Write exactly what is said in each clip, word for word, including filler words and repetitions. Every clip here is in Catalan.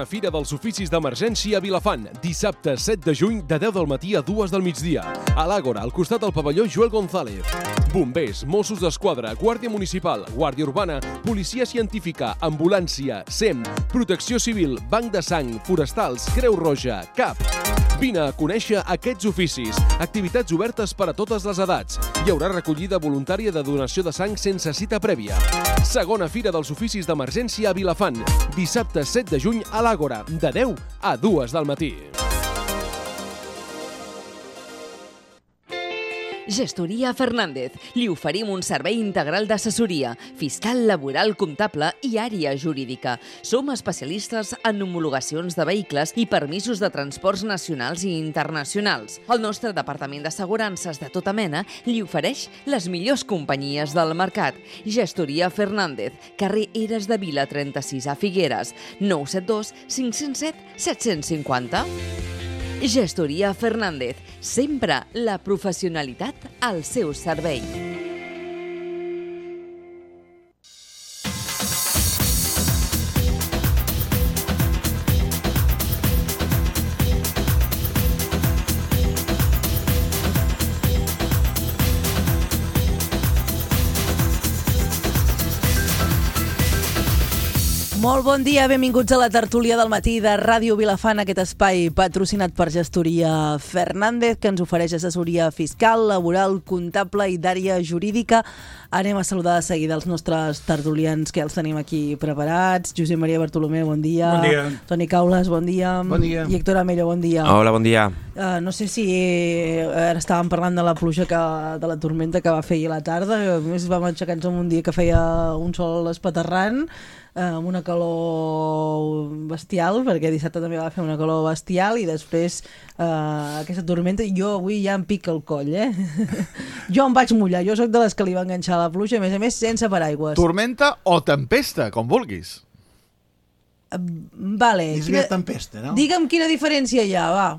La Fira dels Oficis d'Emergència a Vilafant, dissabte set de juny de deu del matí a dues del migdia. A l'Àgora, al costat del pavelló Joel González. Bombers, Mossos d'Esquadra, Guàrdia Municipal, Guàrdia Urbana, Policia Científica, Ambulància, S E M, Protecció Civil, Banc de Sang, Forestals, Creu Roja, C A P. Vine a conèixer aquests oficis. Activitats obertes per a totes les edats. Hi haurà recollida voluntària de donació de sang sense cita prèvia. Segona Fira dels Oficis d'Emergència a Vilafant, dissabte set de juny a l'Àgora, de deu a dues del matí. Gestoria Fernández. Li oferim un servei integral d'assessoria, fiscal, laboral, comptable i àrea jurídica. Som especialistes en homologacions de vehicles i permisos de transports nacionals i internacionals. El nostre departament d'assegurances de tota mena li ofereix les millors companyies del mercat. Gestoria Fernández, carrer Eres de Vila trenta-sis a Figueres, nou set dos cinc zero set set cinc zero. Gestoria Fernández, sempre la professionalitat al seu servei. Molt bon dia, benvinguts a la tertúlia del matí de Ràdio Vilafant, aquest espai patrocinat per Gestoria Fernández, que ens ofereix assessoria fiscal, laboral, comptable i d'àrea jurídica. Anem a saludar de seguida els nostres tertulians, que els tenim aquí preparats. Josep Maria Bartolomeu, bon dia. Bon dia. Toni Caules, bon dia. Bon dia. I Héctor Amello, bon dia. Hola, bon dia. Uh, no sé si ara estàvem parlant de la pluja, que, de la tormenta que va fer ahir a la tarda. A més, vam aixecar-nos en un dia que feia un sol espaterrant, amb una calor bestial, perquè dissabte també va fer una calor bestial, i després uh, aquesta tormenta, jo avui ja em pica el coll, eh? Jo em vaig mullar, jo sóc de les que li va enganxar la pluja, a més a més sense paraigües. Tormenta o tempesta, com vulguis. Uh, vale. És quina... tempesta, no? Digue'm quina diferència hi ha, va.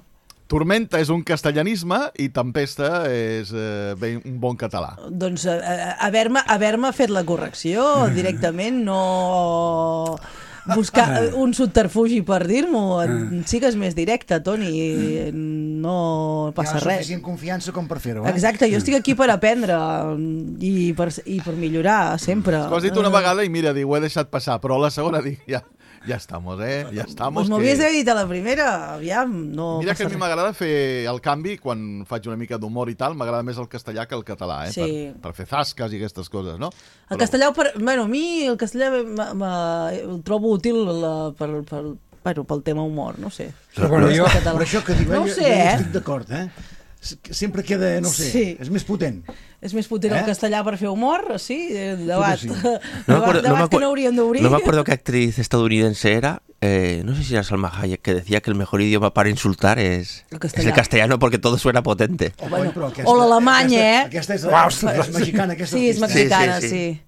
Tormenta és un castellanisme i tempesta és eh, ben, un bon català. Doncs uh, haver-me haver-me fet la correcció directament, no buscar un subterfugi per dir-m'ho. Sigues més directe, Toni, no passa res. Hi ha suficient confiança com per fer-ho, eh? Exacte, jo estic aquí per aprendre i per, i per millorar sempre. Ho has dit una vegada i mira, dic, ho he deixat passar, però la segona dic, ja... Ja estamos, eh? Ja estamos. Pues que... m'havies d'haver dit a la primera, aviam, no Mira que a mi res. m'agrada fer el canvi quan faig una mica d'humor i tal, m'agrada més el castellà que el català, eh? Sí. Per, per fer zasques i aquestes coses, no? El Però... castellà, per... bueno, a mi el castellà el trobo útil la... per, per... Bueno, pel tema humor, no sé. Però, bueno, jo, per això que diu, no jo, sé, jo eh? estic d'acord, eh? Sempre queda, no sé, sí. És més potent. És més potent eh? el castellà per fer humor, sí, debat, sí. debat, No acuerdo, debat no que no hauríem d'obrir. No me acuerdo qué actriz estadounidense era, eh, no sé si era Salma Hayek, que decía que el mejor idioma para insultar es el, es el castellano porque todo suena potente. O, bueno, aquesta, o l'alemany, eh? Aquesta és la, la, la mexicana. Aquesta sí, és mexicana, sí. sí, sí. sí.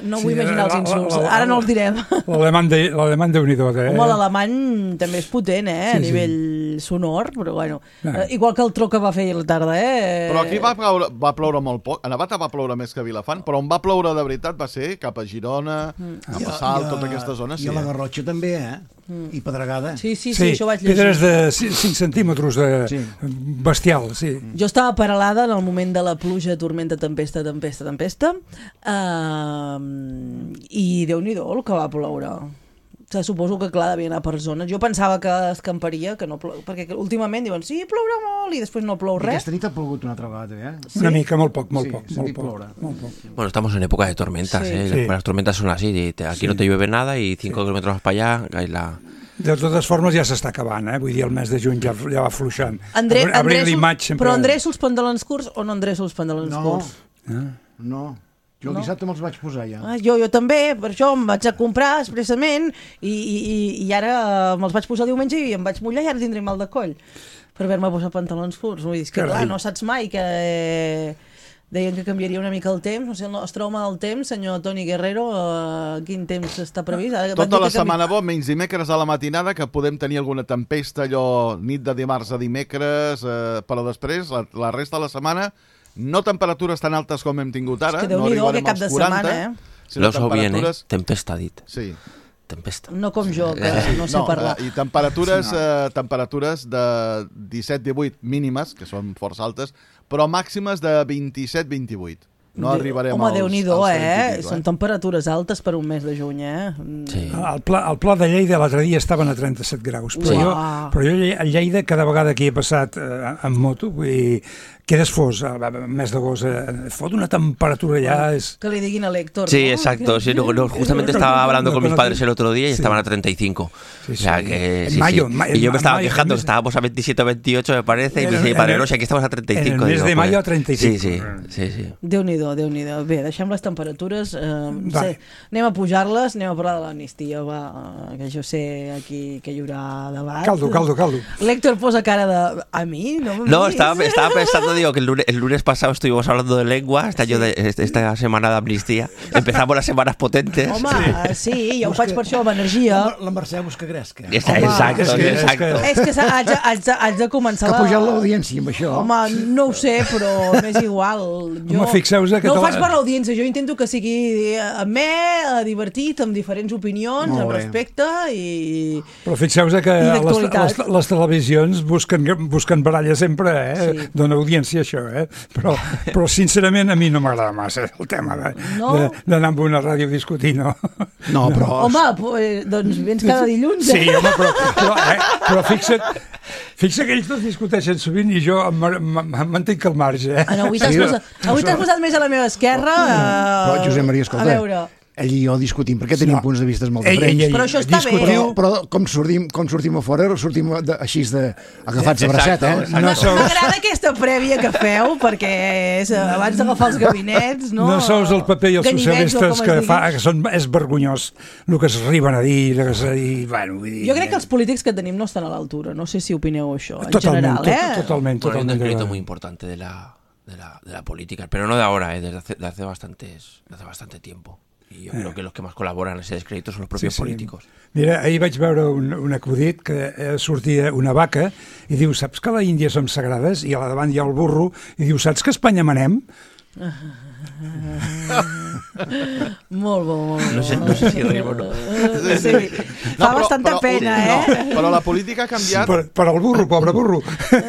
No vull sí, imaginar els insults, la, la, ara no els direm. L'alemany de unidor, eh? Home, l'alemany també és potent, eh? Sí, a nivell sí. sonor, però bueno. Ah. Eh, igual que el tro que va fer ahir a la tarda, eh? Però aquí va ploure, va ploure molt poc. A Navata va ploure més que a Vilafant, però on va ploure de veritat va ser cap a Girona, mm. cap a Salt, tota aquesta zona. I sí, a la eh? Garrotxa també, eh? Mm. I Pedregada. Sí, sí, sí, sí, això vaig llegir. Pedres de cinc centímetres de sí. bestial, sí. Jo estava paralada en el moment de la pluja, tormenta, tempesta, tempesta, tempesta, uh, i Déu-n'hi-do el que va ploure. O sigui, suposo que, clar, devia anar per zones. Jo pensava que escamparia, que no plou, perquè últimament diuen, sí, plourà molt, i després no plou res. I aquesta nit ha plogut una altra vegada, eh? Sí? Una mica, molt poc, molt sí, poc. Molt poc, molt poc. Bueno, estamos en época de tormentas, sí. ¿eh? Sí. Las tormentas son así, aquí sí. no te llueve nada y cinco sí. kilómetros más para allá hay la... De totes formes ja s'està acabant, eh? Vull dir, el mes de juny ja, ja va fluixant. André, Abril André, i maig sempre... Però endreço els pantalons curts o no endreço els pantalons no, curts? No, no. Jo el no? dissabte me'ls vaig posar ja. Ah, jo, jo també, per això em vaig a comprar expressament i, i, i ara me'ls vaig posar diumenge i em vaig mullar i ara tindré mal de coll per haver-me posat pantalons curts. Vull dir, que clar, no saps mai que... Deien que canviaria una mica el temps, no sé, el nostre home del temps, senyor Toni Guerrero, uh, quin temps està previst? Tota la setmana bo, menys dimecres a la matinada, que podem tenir alguna tempesta, allò nit de dimarts a dimecres, eh, però després, la, la resta de la setmana, no temperatures tan altes com hem tingut ara, és que no arribarem cap als de quaranta. Setmana, eh? Lo so bien, eh? Tempesta, dit. Sí. tempesta. No com jo, que no sé no, parlar. eh, I temperatures, eh, temperatures de disset divuit mínimes, que són força altes, però màximes de vint-i-set vint-i-vuit. No arribarem Home, als, Déu-n'hi-do, als eh? trenta i pico, Són temperatures altes per un mes de juny, eh? Sí. Al pla, al pla de Lleida l'altre dia estaven a trenta-set graus, però Uah. jo, però jo a Lleida cada vegada que hi he passat eh, en moto, vull dir, quedes fos, al mes d'agost, eh, fot una temperatura ya es... Que li diguin a l'Héctor, Sí, ¿no? exacto. Que- Sí, no, no, justamente estaba hablando con mis padres el otro día y Sí. estaban a treinta y cinco. Sí, O sea sí. que. En sí, mayo, sí. en ma- Y yo me en estaba mayo, quejando en que mes- estábamos a veintisiete o veintiocho, me parece, y me En- dice mi en padre, el- no sé, aquí estamos a treinta y cinco. en el mes Digo, de mayo pues, a treinta y cinco. Sí, sí, sí, sí. Déu-n'hi-do, Déu-n'hi-do. Bé, deixem les temperatures. Eh, Va. sé, anem a pujar-les, anem a parlar de l'amnistia, va, que jo sé aquí que hi haurà debat. Caldo, caldo, caldo. L'Héctor posa cara de... A mi? No, No, estaba, estaba pensando, digo, que el lunes, el lunes pasado estuvimos hablando de lengua, este año de, este- esta semana de amnistía. Empezamos las semanas potentes. Home, sí, sí jo ho faig per això, amb energia. La, la Mercè busca gresca. Esa- Home, exacto, és que- és exacto. És que s'ha- haig, de- haig, de, haig de començar Que ha la... pujat l'audiència amb això. Home, no ho sé, però m'és igual. Jo Home, fixeu-vos que no ho te la- faig per l'audiència, jo intento que sigui amè, eh, divertit, amb diferents opinions, Molt amb bé. respecte i... Però fixeu-vos que I les, d'actualitat. les, les televisions busquen, busquen baralla sempre, eh? Sí. Dona audiència això, eh? Però, però sincerament a mi no m'agrada massa el tema de- No? de- d'anar amb una ràdio a discutir, no? No, però... Home, pues, doncs vens cada dilluns, eh? Sí, home, però, però, eh? però fixa't, fixa't que ells dos discuteixen sovint i jo em, em, em mantinc al marge, eh? Ah, no, avui t'has Sí, posat, avui t'has posat més a la meva esquerra. Però, eh, Josep Maria, escolta, A veure, ell i jo discutim, perquè tenim No. punts de vista molt Ei, diferents. ei, ei, Però això està bé. Però, però com, sortim, com sortim a fora, sortim de, així de, agafats de bracet, eh? Exacte, No sou, m'agrada aquesta prèvia que feu, perquè és eh, abans d'agafar els gabinets, no? no sous el paper i els Ganivets, o socialistes com es que, digui. fa, que són, és vergonyós el que es arriben a dir, el que es, i, bueno, vull dir... Jo crec que els polítics que tenim no estan a l'altura. No sé si opineu això, en Totalment, general, to- eh? totalment, Bueno, hay un totalment. descrédito de- muy importante de la, de la, de la política, pero no de ahora, ¿eh? Desde hace, de hace, bastantes, de hace bastante tiempo. Y yo creo que los que más colaboran en ese descrédito son los propios Sí, sí. políticos. Mira, ahir vaig veure un, un acudit que eh, sortia una vaca i diu, saps que a la Índia som sagrades? I a la davant hi ha el burro i diu, saps que a Espanya manem? Molt bo, molt bo. No sé, no sé si reír o no. Sí. Fa bastanta pena, eh? No, però la política ha canviat. Per, per al burro, pobre burro.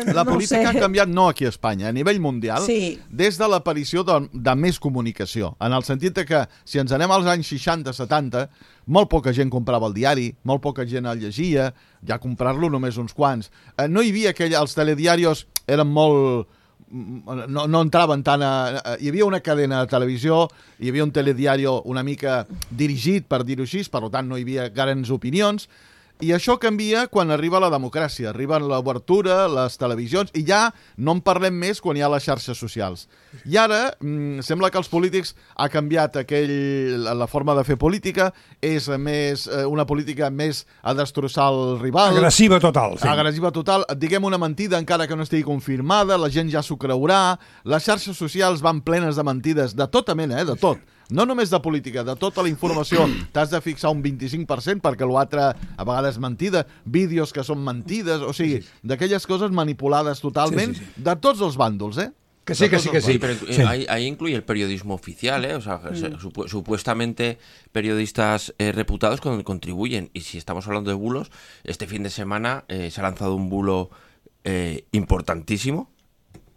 La No ho política sé. ha canviat no aquí a Espanya, a nivell mundial, Sí. des de l'aparició de, de més comunicació, en el sentit de que si ens anem als anys seixanta setanta, molt poca gent comprava el diari, molt poca gent el llegia, ja comprar-lo només uns quants. Eh, no hi havia aquell... Els telediarios eren molt... No, no entraven tant a... Hi havia una cadena de televisió, hi havia un telediario una mica dirigit, per dir-ho així, per tant no hi havia grans opinions, i això canvia quan arriba la democràcia, arriben l'obertura, les televisions, i ja no en parlem més quan hi ha les xarxes socials. I ara mmm, sembla que els polítics ha canviat aquell, la, la forma de fer política, és més eh, una política més a destrossar el rival. Agressiva total. Sí. Agressiva total, diguem una mentida encara que no estigui confirmada, la gent ja s'ho creurà, les xarxes socials van plenes de mentides, de tota mena, eh, de tot. No només de política, de tota la informació t'has de fixar un vint-i-cinc per cent perquè l'altre a vegades mentida, vídeos que són mentides, o sigui, d'aquelles coses manipulades totalment, Sí, sí, sí. de tots els bàndols, eh? Que sí, que sí, que sí. Sí, pero eh, Sí. Ahí, ahí incluye el periodismo oficial, ¿eh? O sea, se- supu- supuestamente periodistas eh, reputados con- contribuyen. Y si estamos hablando de bulos, este fin de semana eh, se ha lanzado un bulo eh, importantísimo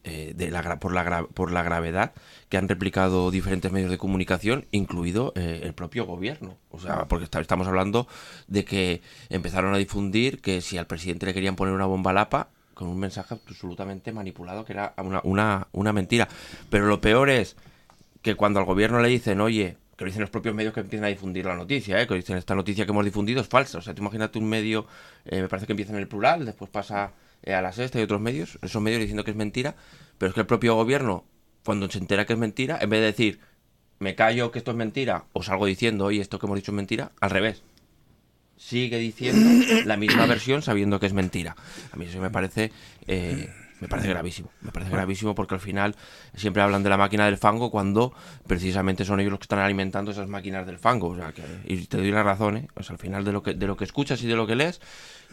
eh, de la, gra- por, la gra- por la gravedad que han replicado diferentes medios de comunicación, incluido eh, el propio gobierno. O sea, porque está- estamos hablando de que empezaron a difundir que si al presidente le querían poner una bomba a lapa, con un mensaje absolutamente manipulado que era una, una, una mentira. Pero lo peor es que cuando al gobierno le dicen, oye, que lo dicen los propios medios que empiezan a difundir la noticia, ¿eh? Que dicen, esta noticia que hemos difundido es falsa. O sea, tú imagínate un medio, eh, me parece que empieza en el plural, después pasa eh, a la sexta y otros medios, esos medios diciendo que es mentira, pero es que el propio gobierno, cuando se entera que es mentira, en vez de decir, me callo que esto es mentira, o salgo diciendo, oye, esto que hemos dicho es mentira, al revés. Sigue diciendo la misma versión sabiendo que es mentira. A mí eso me parece eh, me parece gravísimo. Me parece gravísimo porque al final siempre hablan de la máquina del fango cuando precisamente son ellos los que están alimentando esas máquinas del fango. O sea, que, y te doy la razón, ¿eh? Pues al final de lo que de lo que escuchas y de lo que lees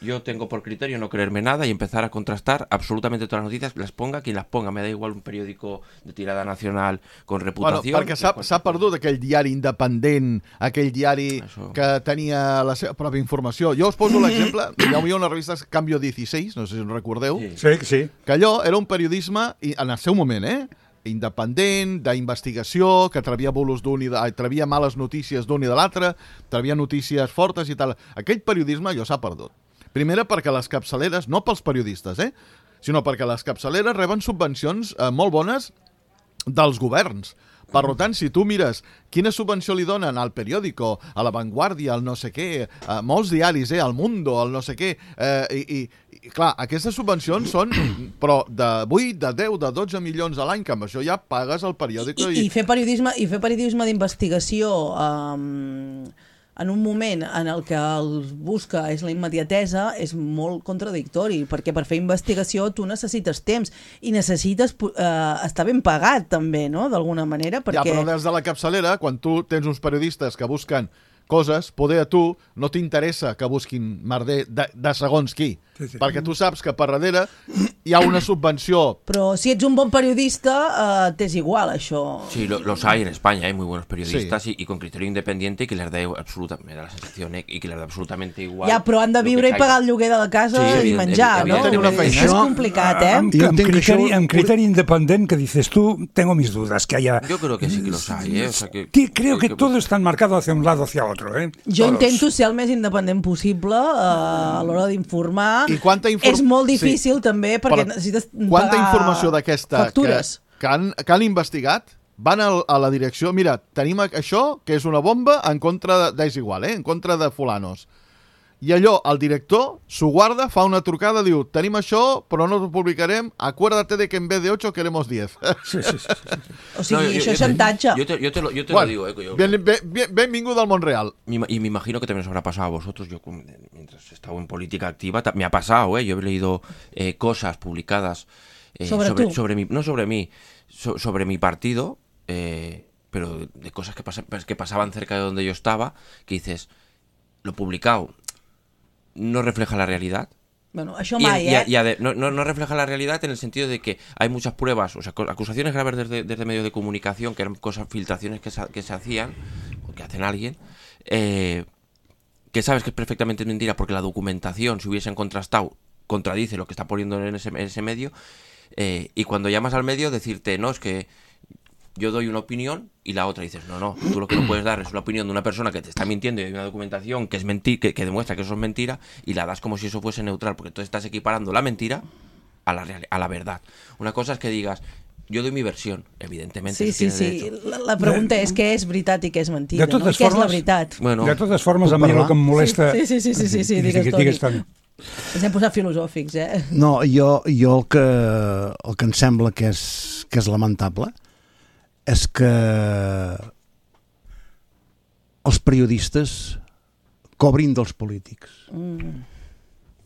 yo tengo por criterio no creerme nada y empezar a contrastar absolutamente todas las noticias, las ponga quien las ponga, me da igual un periódico de tirada nacional con reputació. Bueno, perquè s'ha perdut aquell diari independent, aquell diari Això. que tenia la seva pròpia informació. Jo us poso l'exemple, hi havia una revista Cambio dieciséis, no sé si us recordeu, sí, sí, sí. que allò era un periodisme, en el seu moment, eh? independent, d'investigació, que trebia bulos d'un i de... trebia males notícies d'un i de l'altre, trebia notícies fortes i tal. Aquell periodisme allò s'ha perdut. Primera perquè les capçaleres, no pels periodistes, eh? sinó perquè les capçaleres reben subvencions eh, molt bones dels governs. Per tant, si tu mires quina subvenció li donen al periòdico, a La Vanguardia, al no sé què, a molts diaris, eh, al Mundo, al no sé què, eh, i, i, i clar, aquestes subvencions són però de vuit, de deu, de dotze milions a l'any, que amb això ja pagues el periòdico. I, i... i fer periodisme i fer periodisme d'investigació um, en un moment en el que el busca és la immediatesa és molt contradictori, perquè per fer investigació tu necessites temps i necessites eh, estar ben pagat també, no?, d'alguna manera, perquè... Ja, però des de la capçalera, quan tu tens uns periodistes que busquen coses, poder a tu no t'interessa que busquin merder de, de segons qui, sí, sí. perquè tu saps que per darrere hi ha una subvenció. Però si ets un bon periodista, eh, t'és igual, això. Sí, lo, los hay en España, hay muy buenos periodistas sí. y, y con criterio independiente y que les da absolutamente, me da la sensación, eh, y que les da absolutamente igual. Ja, però han de viure i pagar el lloguer de la casa sí, i menjar, no? Una feina. És complicat, eh? Amb, amb, criteri, amb criteri independent que dices tú, tengo mis dudas, que haya... Yo creo que sí que los hay, eh. O sea, que, creo que, que, que todo está enmarcado hacia un lado hacia otro. Eh? Jo Todos. intento ser el més independent possible uh, a l'hora d'informar. I quanta inform... És molt difícil sí. també perquè Però necessites quanta pagar informació d'aquesta que, que, han, que han investigat van a, a la direcció, mira, tenim això que és una bomba en contra de, és igual, eh? en contra de fulanos. I allò, el director s'ho guarda, fa una trucada, diu, tenim això, però no ho publicarem, acuérdate de que en vez de ocho queremos diez. Sí, sí, sí, sí. O sigui, no, jo, això és xantatge. Yo te, yo te, lo, yo te bueno, lo digo. Eh, yo, bien, bien, benvingut al món real. Y me imagino que también os habrá pasado a vosotros. Yo, mientras he estado en política activa, me ha pasado, ¿eh? Yo he leído eh, cosas publicadas eh, sobre, sobre, sobre mi, no sobre mí, so, sobre mi partido, eh, pero de cosas que, pas, que pasaban cerca de donde yo estaba, que dices, lo publicado no refleja la realidad. Bueno, això mai, y, eh? Y, y ade, no, no, no refleja la realidad en el sentido de que hay muchas pruebas, o sea, acusaciones graves desde, desde medios de comunicación, que eran cosas, filtraciones que se, que se hacían, o que hacen alguien, eh, que sabes que es perfectamente mentira porque la documentación, si hubiesen contrastado, contradice lo que está poniendo en ese, en ese medio, eh, y cuando llamas al medio decirte, no, es que yo doy una opinión y la otra dices, no, no, tú lo que no puedes dar es una opinión de una persona que te está mintiendo y hay una documentación que es mentir, que, que demuestra que eso es mentira y la das como si eso fuese neutral, porque tú estás equiparando la mentira a la, real, a la verdad. Una cosa es que digas, yo doy mi versión, evidentemente. Sí, sí, sí. La, la pregunta de, és què és veritat i què és mentida, no? I què és la veritat? Bueno, de totes formes, a mi el que em molesta... Sí, sí, sí, sí, sí, sí, digues, digues, Toni. Ens hem posat filosòfics, eh? No, jo, jo el, que, el que em sembla que és, que és lamentable és que els periodistes cobrin dels polítics. Mm.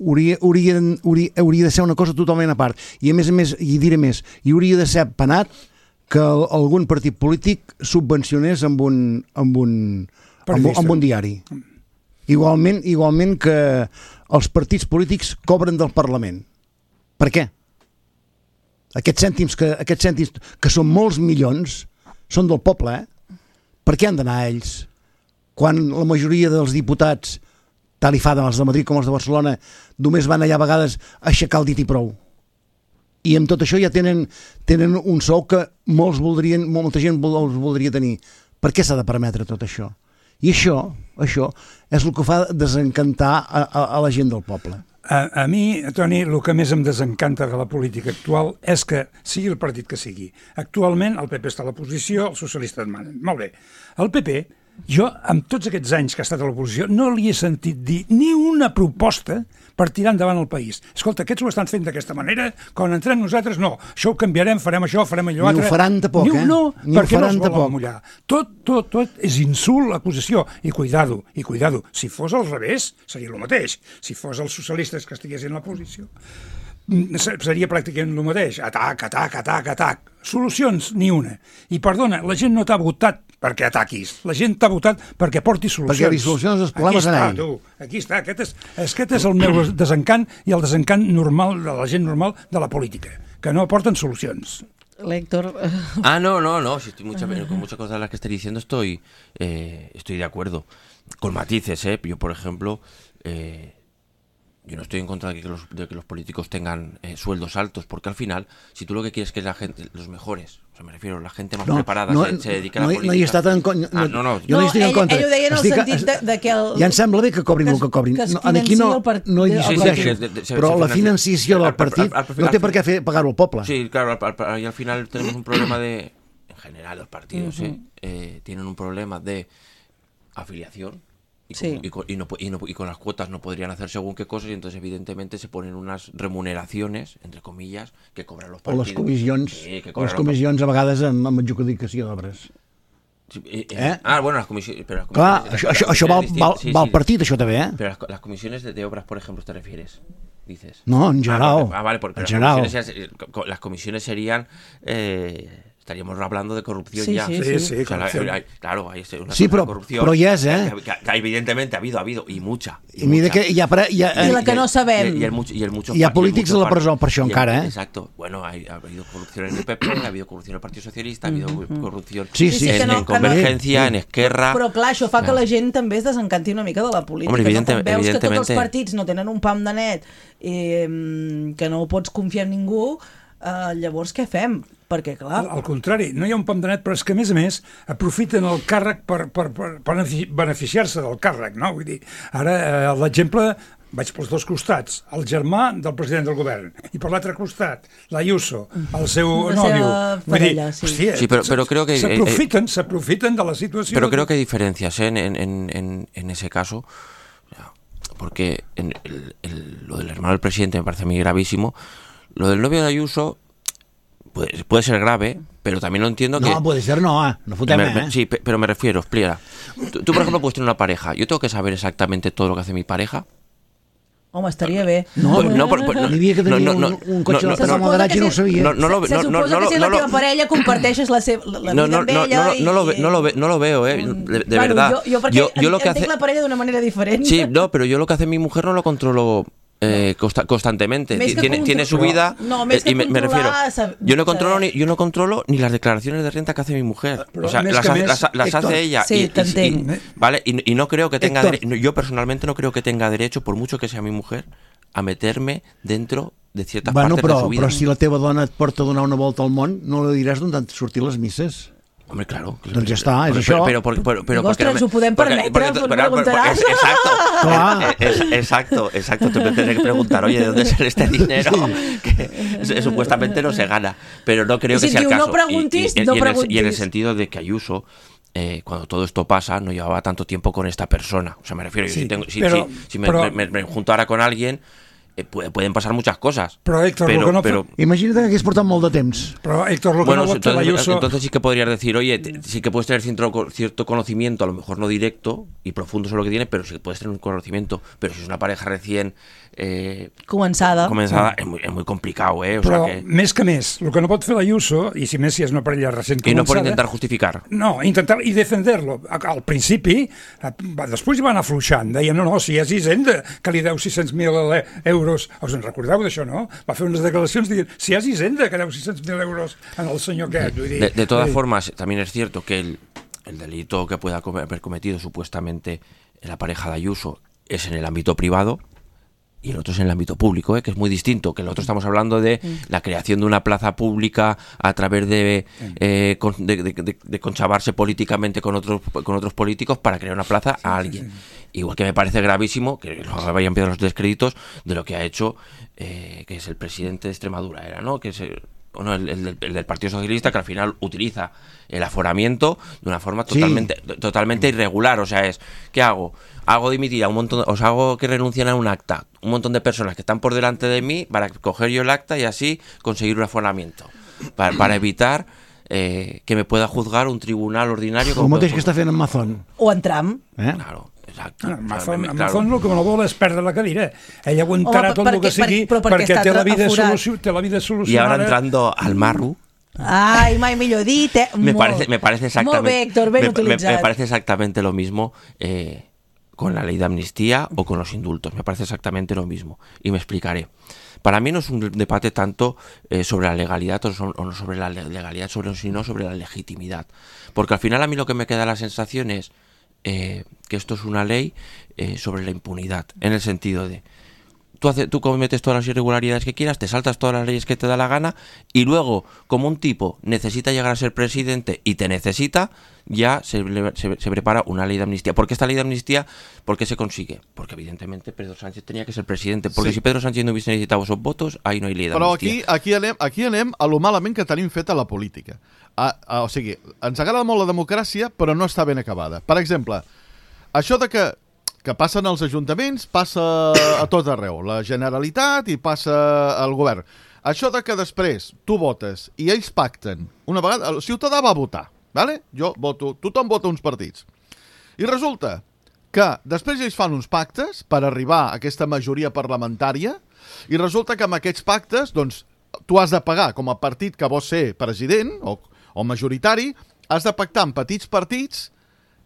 Hauria, hauria, hauria, hauria de ser una cosa totalment a part. I a més a més, i diré més, hi hauria de ser penat que algun partit polític subvencionés amb un, amb un, amb, amb un diari. Igualment, igualment que els partits polítics cobren del Parlament. Per què? Aquests cèntims que, aquests cèntims que són molts milions són del poble, eh? Per què han d'anar a ells? Quan la majoria dels diputats, tal i fa dels de Madrid com els de Barcelona, només van allà a vegades a aixecar el dit i prou. I amb tot això ja tenen, tenen un sou que molts voldrien, molta gent els voldria tenir. Per què s'ha de permetre tot això? I això, això és el que fa desencantar a, a, a la gent del poble. A, a mi, Toni, el que més em desencanta de la política actual és que, sigui el partit que sigui, actualment el P P està a l'oposició, els socialistes manen. Molt bé. El P P, jo, amb tots aquests anys que ha estat a l'oposició, no li he sentit dir ni una proposta per tirar endavant el país. Escolta, aquests ho estan fent d'aquesta manera, quan entrem nosaltres, no, això ho canviarem, farem això, farem allò altre... Ni ho faran tampoc, eh? No, Ni perquè no es tampoc. volen mullar. Tot, tot, tot és insult, acusació. I cuidado, i cuidado. Si fos al revés, seria el mateix. Si fos els socialistes que estiguessin a la posició. seria pràcticament el mateix. Atac, atac, atac, atac. Solucions, ni una. I perdona, la gent no t'ha votat perquè ataquis. La gent t'ha votat perquè porti solucions. Perquè li solucions els problemes en ell. Aquí està, tu. Aquí està. Aquest és, aquest és el meu desencant i el desencant normal de la gent normal de la política, que no aporten solucions. Héctor. Ah, no, no, no. Si estoy mucha, con muchas cosas de las que estoy diciendo estoy, eh, estoy de acuerdo. Con matices, ¿eh? Yo, por ejemplo, eh, yo no estoy en contra de que los, de que los políticos tengan eh, sueldos altos, porque al final, si tú lo que quieres es que la gente, los mejores, o sea, me refiero, la gente más no, preparada no, se, se dedica no, a la política. No hi està tan... No, ah, no, no. Jo no hi estic ell, en contra. Ell ho deia en el estic, sentit de, de que... El, ja em sembla bé que cobrin el que cobrin. Que es no, aquí no, part, no hi discuteixo, sí, sí, sí, però sí, la sí, financiació del partit al, al, al, no té per què fer pagar-ho al poble. Sí, claro, al, al, y al final tenemos un problema de... En general, los partidos uh-huh. eh, eh, tienen un problema de afiliación. Y con, sí. y, con, y, no, y, no, y con las cuotas no podrían hacer según qué cosas y entonces evidentemente se ponen unas remuneraciones, entre comillas, que cobran los partidos. O les comissions, sí, que les comissions a vegades amb, amb adjudicació d'obres. Sí, eh, eh. Eh? Ah, bueno, las comisiones... Pero las Clar, comisiones, això, això, això val, val, sí, val sí, partit, això també, eh? Pero las, las comisiones de, de obras, por ejemplo, ¿te refieres? Dices. No, en general. Ah, vale, porque en las, general. Comisiones, las comisiones serían... Eh, estaríamos hablando de corrupción sí, ya. Sí, sí, sí. sí o sea, la, hay, claro, hay una sí, però, corrupción. Però hi és, eh? Que, que, que evidentemente ha habido, ha habido, y mucha. I, I mira que hi ha... Hi ha I la que no sabem. Y, y, el, y, el, y el mucho, hi ha polítics a la presó per això el, encara, eh? Exacto. Bueno, hay, ha habido corrupción en el P P, ha habido corrupción en el Partido Socialista, ha habido mm-hmm. corrupción sí, sí, en, sí, no, en Convergencia, no, en Esquerra... Però clar, això fa que la gent també es desencanti una mica de la política. Hombre, evidente, no? Quan veus que tots els evidentemente... partits no tenen un pam de net i que no pots confiar en ningú, eh, llavors què fem? Perquè, clar... Al, al contrari, no hi ha un pam de net, però és que, a més a més, aprofiten el càrrec per, per, per, per beneficiar-se del càrrec, no? Vull dir, ara, eh, l'exemple, vaig pels dos costats, el germà del president del govern, i per l'altre costat, l'Ayuso, el seu la nòvio. Parella, dir, sí. Hòstia, sí, però, però creo que... S'aprofiten, eh, s'aprofiten de la situació... Però creo que hay diferencias ¿eh? en, en, en, en ese caso, porque en el, el, lo del hermano del presidente me parece a mí gravísimo, lo del novio de Ayuso... Puede, puede ser grave, pero también lo entiendo no, que... No, puede ser no, eh? No fotem, me, eh? Me, sí, pe, pero me refiero, explica. Tú, tú, por ejemplo, puedes tener una pareja. ¿Yo tengo que saber exactamente todo lo que hace mi pareja? Home, estaria bé. No, no, no, no, no, n'hi havia que tenia no, no, un, un cotxe no, no, de moderat i no ho sabia. No, no, no, se, se no, suposa no, que si no, la teva no, parella comparteixes la, seva, la vida no, no, amb ella no, no, i... No lo, ve, no, lo ve, no lo veo, eh, de, de bueno, verdad. Jo, jo perquè yo, yo lo que entenc hace... la parella d'una manera diferent. Sí, no, pero yo lo que hace mi mujer no lo controlo... Eh, consta, constantemente tiene, tiene su vida no, eh, y me, me refiero yo no controlo ni yo no controlo ni las declaraciones de renta que hace mi mujer pero o sea las, mes, las, las Héctor, hace ella sí, y, y, y, vale y, y no creo que tenga dere- yo personalmente no creo que tenga derecho por mucho que sea mi mujer a meterme dentro de ciertas bueno, partes però, de su vida. Però si la teva dona et porta a donar una volta al món no li diràs d'on han sortit les misses. Hombre, claro. Doncs ja està, és pero, això. Pero, pero, pero, pero, Ostres, ho podem permetre, porque, preguntaràs. Exacto, es, es, exacto, exacto. Te tendré que preguntar, oye, ¿de dónde sale este dinero? Que es, supuestamente no se gana, pero no creo si que sea el caso. No preguntis, y, y, no y, preguntis. En el, y en el sentido de que Ayuso, eh, cuando todo esto pasa, no llevaba tanto tiempo con esta persona. O sea, me refiero, sí, si, tengo, si, pero, si, si me, pero, me, me, me junto ahora con alguien... Eh, pueden pasar muchas cosas. Pero Héctor, pero, lo que no pero, imagínate que hagués portat molt de temps. Pero Héctor, lo que bueno, no entonces, Ayuso... entonces sí que podrías decir, oye, te, sí que puedes tener cierto, cierto conocimiento, a lo mejor no directo y profundo sobre lo que tiene, pero sí que puedes tener un conocimiento. Pero si es una pareja recién eh, començada, començada sí. es, muy, es muy complicado, eh? O però sea que... més que més, el que no pot fer l'Ayuso, i si més si és una parella recent començada... I no pot intentar justificar. No, intentar i defender-lo. Al principi, després hi van afluixant, deien, no, no, si és Hisenda, que li deu sis-cents mil euros, us en recordeu d'això, no? Va fer unes declaracions dient, si és Hisenda, que deu sis-cents mil euros en el senyor aquest. Vull dir, de, de todas formas, también es cierto que el, el delito que pueda haber cometido supuestamente la pareja de Ayuso es en el ámbito privado, y el otro es en el ámbito público, ¿eh? Que es muy distinto, que el otro estamos hablando de mm. la creación de una plaza pública a través de, eh, con, de, de, de, de conchavarse políticamente con otros con otros políticos para crear una plaza a alguien. Igual que me parece gravísimo, que lo vayan pidiendo los descréditos de lo que ha hecho, eh, que es el presidente de Extremadura, era, ¿no? Que es el, bueno, el, el, el del Partido Socialista, que al final utiliza el aforamiento de una forma totalmente sí. totalmente irregular. O sea, es, ¿qué hago? Hago dimitir a un montón, os hago que renuncien a un acta, un montón de personas que están por delante de mí para coger yo el acta y así conseguir un aforamiento, para, para evitar eh, que me pueda juzgar un tribunal ordinario. El mateix que està fent en Mazón. O en Trump. Eh? Claro. Exacte. En el O sea, fons, me- en el claro. fons el que no vol és perdre la cadira. Ell aguantarà Home, tot per- el que perquè- sigui però perquè perquè està té la vida, aforat. solució, té la vida Y solucionada. ahora entrando al marro, Ai, mai millor dit, eh? me Molt. parece, me parece exactamente, Molt bé, Héctor, ben me, me- utilitzat. me parece exactamente lo mismo eh, con la ley de amnistía o con los indultos. Me parece exactamente lo mismo. Y me explicaré. Para mí no es un debate tanto eh, sobre la legalidad o, so- o no sobre la le- legalidad, sobre, sino sobre la legitimidad. Porque al final a mí lo que me queda la sensación es eh, que esto es una ley eh, sobre la impunidad, en el sentido de tú, hace, tú cometes todas las irregularidades que quieras, te saltas todas las leyes que te da la gana y luego, como un tipo necesita llegar a ser presidente y te necesita, ya se, le- se, se prepara una ley de amnistía. ¿Por qué esta ley de amnistía? ¿Por qué se consigue? Porque evidentemente Pedro Sánchez tenía que ser presidente. Porque Sí. si Pedro Sánchez no hubiese necesitado esos votos, ahí no hay ley de Però amnistía. aquí, aquí, anem, aquí anem a lo malament que tenim feta la política. A, a, o sigui, ens agrada molt la democràcia, però no està ben acabada. Per exemple, això de que, que passen als ajuntaments passa a tot arreu. La Generalitat i passa al govern. Això de que després tu votes i ells pacten. Una vegada, el ciutadà va votar, vale? Jo voto, tothom vota uns partits. I resulta que després ells fan uns pactes per arribar a aquesta majoria parlamentària i resulta que amb aquests pactes, doncs, tu has de pagar com a partit que vols ser president o, o majoritari, has de pactar amb petits partits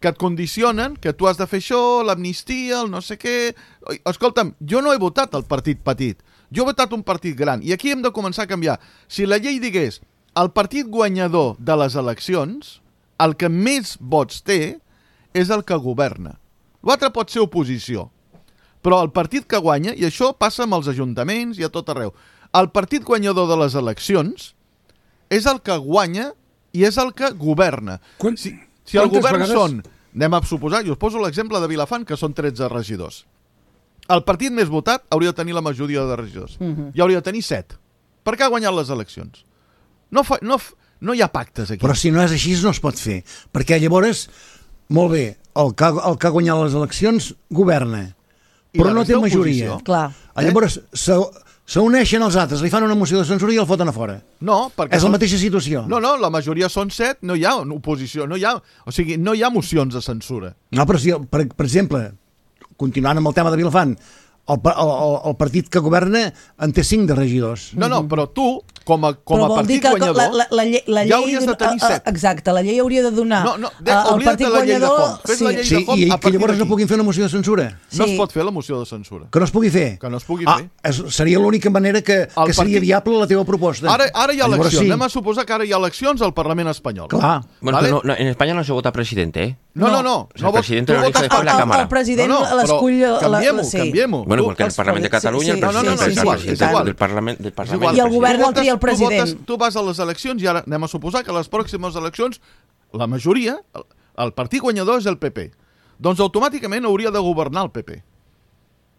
que et condicionen que tu has de fer això, l'amnistia, el no sé què... Escolta'm, jo no he votat el partit petit, jo he votat un partit gran, i aquí hem de començar a canviar. Si la llei digués el partit guanyador de les eleccions, el que més vots té és el que governa. L'altre pot ser oposició, però el partit que guanya, i això passa amb els ajuntaments i a tot arreu, el partit guanyador de les eleccions és el que guanya i és el que governa. Quan- Si, si el quantes govern vegades- són, anem a suposar, i us poso l'exemple de Vilafant, que són tretze regidors. El partit més votat hauria de tenir la majoria de regidors. Mhm. I hauria de tenir set. Per què ha guanyat les eleccions? No, fa, no, f- no hi ha pactes aquí. Però si no és així no es pot fer, perquè llavors, molt bé, el que, ha- el que ha guanyat les eleccions governa, I però la no té resta majoria. oposició. Clar. Eh? Llavors se- s'uneixen els altres, li fan una moció de censura i el foten a fora. No, perquè És la són- mateixa situació. No, no, la majoria són set, no hi ha oposició, no hi ha, o sigui, no hi ha mocions de censura. No, però si, per, per exemple, continuant amb el tema de Vilafant, el, pa- el, el, el partit que governa en té cinc de regidors. No, no, però tu, com a, com Però a vol dir partit que guanyador, la, la, la, llei- la llei ja hauries de tenir a- a- set. Exacte, la llei hauria de donar No, no, de- a- al oblida't partit de la llei de guanyador... fons. Fes la llei Sí, de fons i, a i que partir llavors no d'aquí. puguin fer una moció de censura. No Sí. es pot fer la moció de censura. Que no es pugui fer. Que no es pugui ah, fer. És, seria l'única manera que, que partit- seria viable la teva proposta. Ara, ara hi ha Llavors eleccions. sí. Anem a suposar que ara hi ha eleccions al Parlament espanyol. Clar. Bueno, ¿vale? pero no- no, en España no se vota presidente, ¿eh? No, no, no. O sea, no el vots- presidente tu lo elige votes después per- la el, Cámara. el president No, no, però l'escull... la- canviem-ho, sí. canviem-ho. Bueno, Tu- porque en el els Parlamento de presidents- Cataluña sí, el sí, No, no, no, presidente és es el igual, presidente és igual. del Parlamento. Del És Parlamento. igual. I el Tu govern el votes- tria el tu votes- president. Tu vas a les eleccions i ara anem a suposar que a les pròximes eleccions la majoria, el, el partit guanyador és el P P. Doncs automàticament hauria de governar el P P.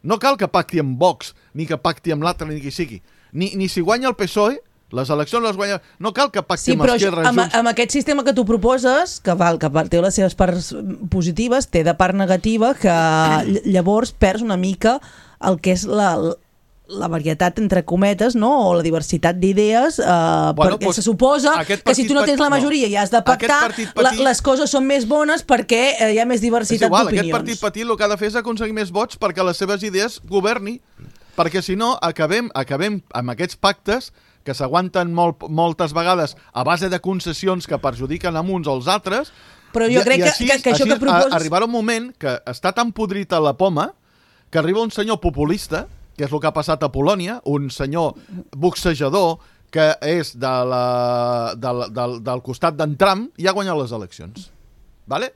No cal que pacti amb Vox, ni que pacti amb l'altre, ni qui sigui. Ni, ni si guanya el P S O E, les eleccions les guanya... No cal que pacti Sí, amb però això, Esquerra, amb, Junts... amb aquest sistema que tu proposes, que, val, que té les seves parts positives, té de part negativa, que ll- llavors perds una mica el que és la, la varietat, entre cometes, no? O la diversitat d'idees, eh, Bueno, perquè doncs, se suposa aquest que si tu no partit tens la petit- majoria i has de Aquest pactar, partit la, petit- les coses són més bones perquè eh, hi ha més És diversitat igual, aquest d'opinions. partit petit el que ha de fer és aconseguir més vots perquè les seves idees governi, perquè si no acabem, acabem amb aquests pactes que s'aguanten molt, moltes vegades a base de concessions que perjudiquen a uns o als altres. Però jo i- crec i que- així, que- que això així que proposes- a- arribarà un moment que està tan podrit a la poma que arriba un senyor populista, que és el que ha passat a Polònia, un senyor boxejador que és de la, de la, del, del costat d'en Trump i ha guanyat les eleccions. Vale?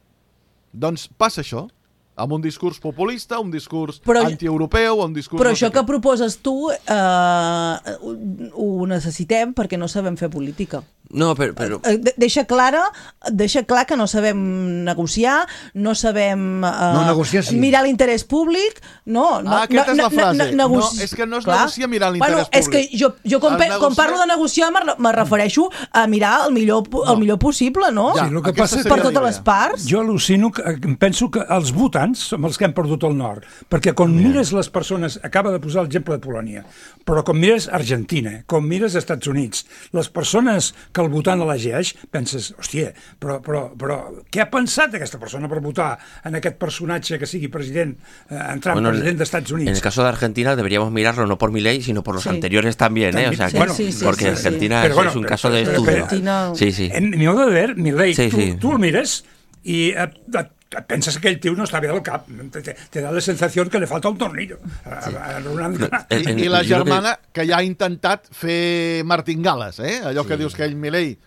Doncs passa això, amb un discurs populista, un discurs Però- antieuropeu, un discurs... Però no sé això que què. proposes tu eh, ho, ho necessitem perquè no sabem fer política. No, pero... pero... Eh, de- Deixa clara, deixa clar que no sabem negociar, no sabem eh, No, negociar sí. mirar l'interès públic, no, no, Ah, aquesta no, és la no, frase. no, negoci- No, és que no es Clar. negocia mirar l'interès bueno, és que públic. jo, jo quan, El pe- negociar- quan parlo de negociar me, re- me refereixo a mirar el millor, pu- el millor possible, no? Ja, Sí, el que aquesta passa és seria Per la totes idea. les parts. Jo al·lucino, que, em penso que els votants som els que hem perdut el nord, perquè quan mires les persones, acaba de posar l'exemple de Polònia, però quan mires Argentina, quan mires Estats Units, les persones que el votant elegeix, penses, hòstia, però, però, però què ha pensat aquesta persona per votar en aquest personatge que sigui president, eh, entrant bueno, president dels Estats Units? En el caso de Argentina deberíamos mirarlo no por Milei, sino por los sí. anteriores también, ¿eh? O sea, sí, bueno, sí, sí, porque sí, Argentina sí. es, Bueno, es un pero, caso de pero, estudio. Argentina... Sí, sí. En mi modo de ver, Milei, sí, tu, sí. tu el mires i et, et, et penses que aquell tio no està bé del cap. Te, te da la sensació que li falta un tornillo. Sí. A, a, a, a, I, I la germana que... que ja ha intentat fer martingales, eh? Allò sí. que dius que ell, Milei,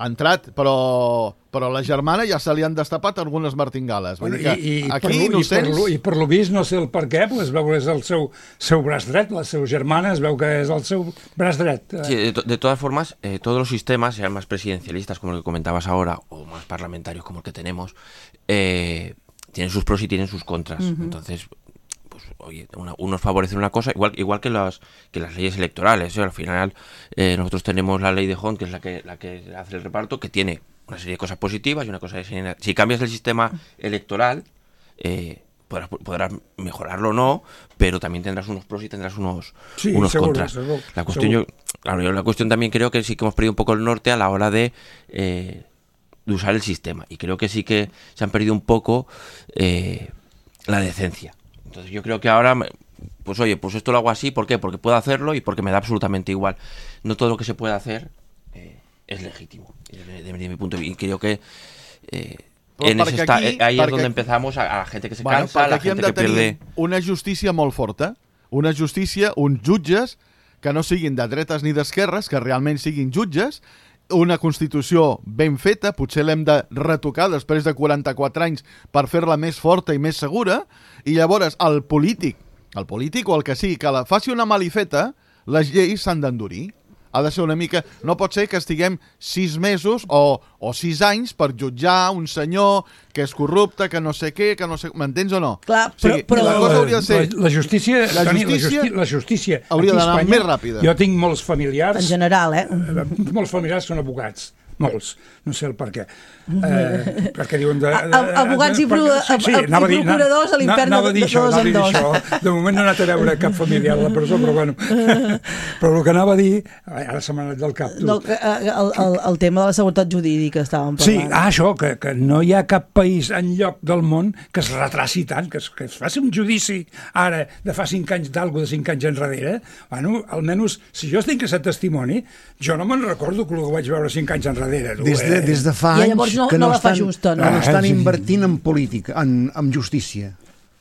ha entrat, però, però la germana ja se li han destapat algunes martingales. Vull dir que I, i, aquí per lo, innocents... i, per lo, I per lo vist, no sé el per què, pues, es veu que és el seu, seu braç dret, la seva germana es veu que és el seu braç dret. Sí, de, to de todas formas, eh, todos los sistemas, sean más presidencialistas como el que comentabas ahora, o más parlamentarios como el que tenemos, eh, tienen sus pros y tienen sus contras. Uh-huh. Entonces, pues, oye, una, unos favorecen una cosa, igual, igual que, las, que las leyes electorales. ¿eh? Al final, eh, nosotros tenemos la ley de Hunt, que es la que, la que hace el reparto, que tiene una serie de cosas positivas y una cosa de... Si cambias el sistema electoral, eh, podrás, podrás mejorarlo o no, pero también tendrás unos pros y tendrás unos, sí, unos seguro, contras. Seguro, la cuestión yo, claro, yo la cuestión también creo que sí que hemos perdido un poco el norte a la hora de... Eh, de usar el sistema, y creo que sí que se han perdido un poco eh, la decencia. Entonces yo creo que ahora, pues oye, pues esto lo hago así, ¿por qué? Porque puedo hacerlo y porque me da absolutamente igual. No todo lo que se puede hacer eh, es legítimo, desde, desde mi punto de vista, y creo que eh, en ese está, aquí, ahí es donde empezamos a, a la gente que se bueno, cansa, a la gente que pierde... Una justícia molt forta, una justícia, uns jutges que no siguin de dretes ni d'esquerres, que realment siguin jutges, una Constitució ben feta, potser l'hem de retocar després de quaranta-quatre anys per fer-la més forta i més segura, i llavors el polític, el polític o el que sigui, que la faci una malifeta, les lleis s'han d'endurir. Ha de ser una mica... No pot ser que estiguem sis mesos o, o sis anys per jutjar un senyor que és corrupte, que no sé què, que no sé... M'entens o no? Clar, però... O sigui, però la, cosa hauria de ser... La, la justícia... La Toni, justícia, la justi la justícia hauria d'anar més ràpida. Jo tinc molts familiars... En general, eh? Molts familiars són abogats. Molts. No sé el per què. Eh, perquè diuen... De, de, de, Abogats i, pro, perquè, sí, i procuradors a l'infern de, de dos en dos. Això. De moment no he anat a veure cap familiar a la presó, però bueno. Però el que anava a dir... Ara se m'ha anat del cap, tu. No, el, el, el tema de la seguretat jurídica estàvem parlant. Sí, ah, això, que, que no hi ha cap país enlloc del món que es retraci tant, que es, que es faci un judici ara de fa cinc anys d'algú de cinc anys enrere. Bueno, almenys, si jo estic a ser testimoni, jo no me'n recordo que ho vaig veure cinc anys enrere. Des de, des de fa anys no, que no, no, estan, justa, no? que no estan invertint en política, en, en justícia.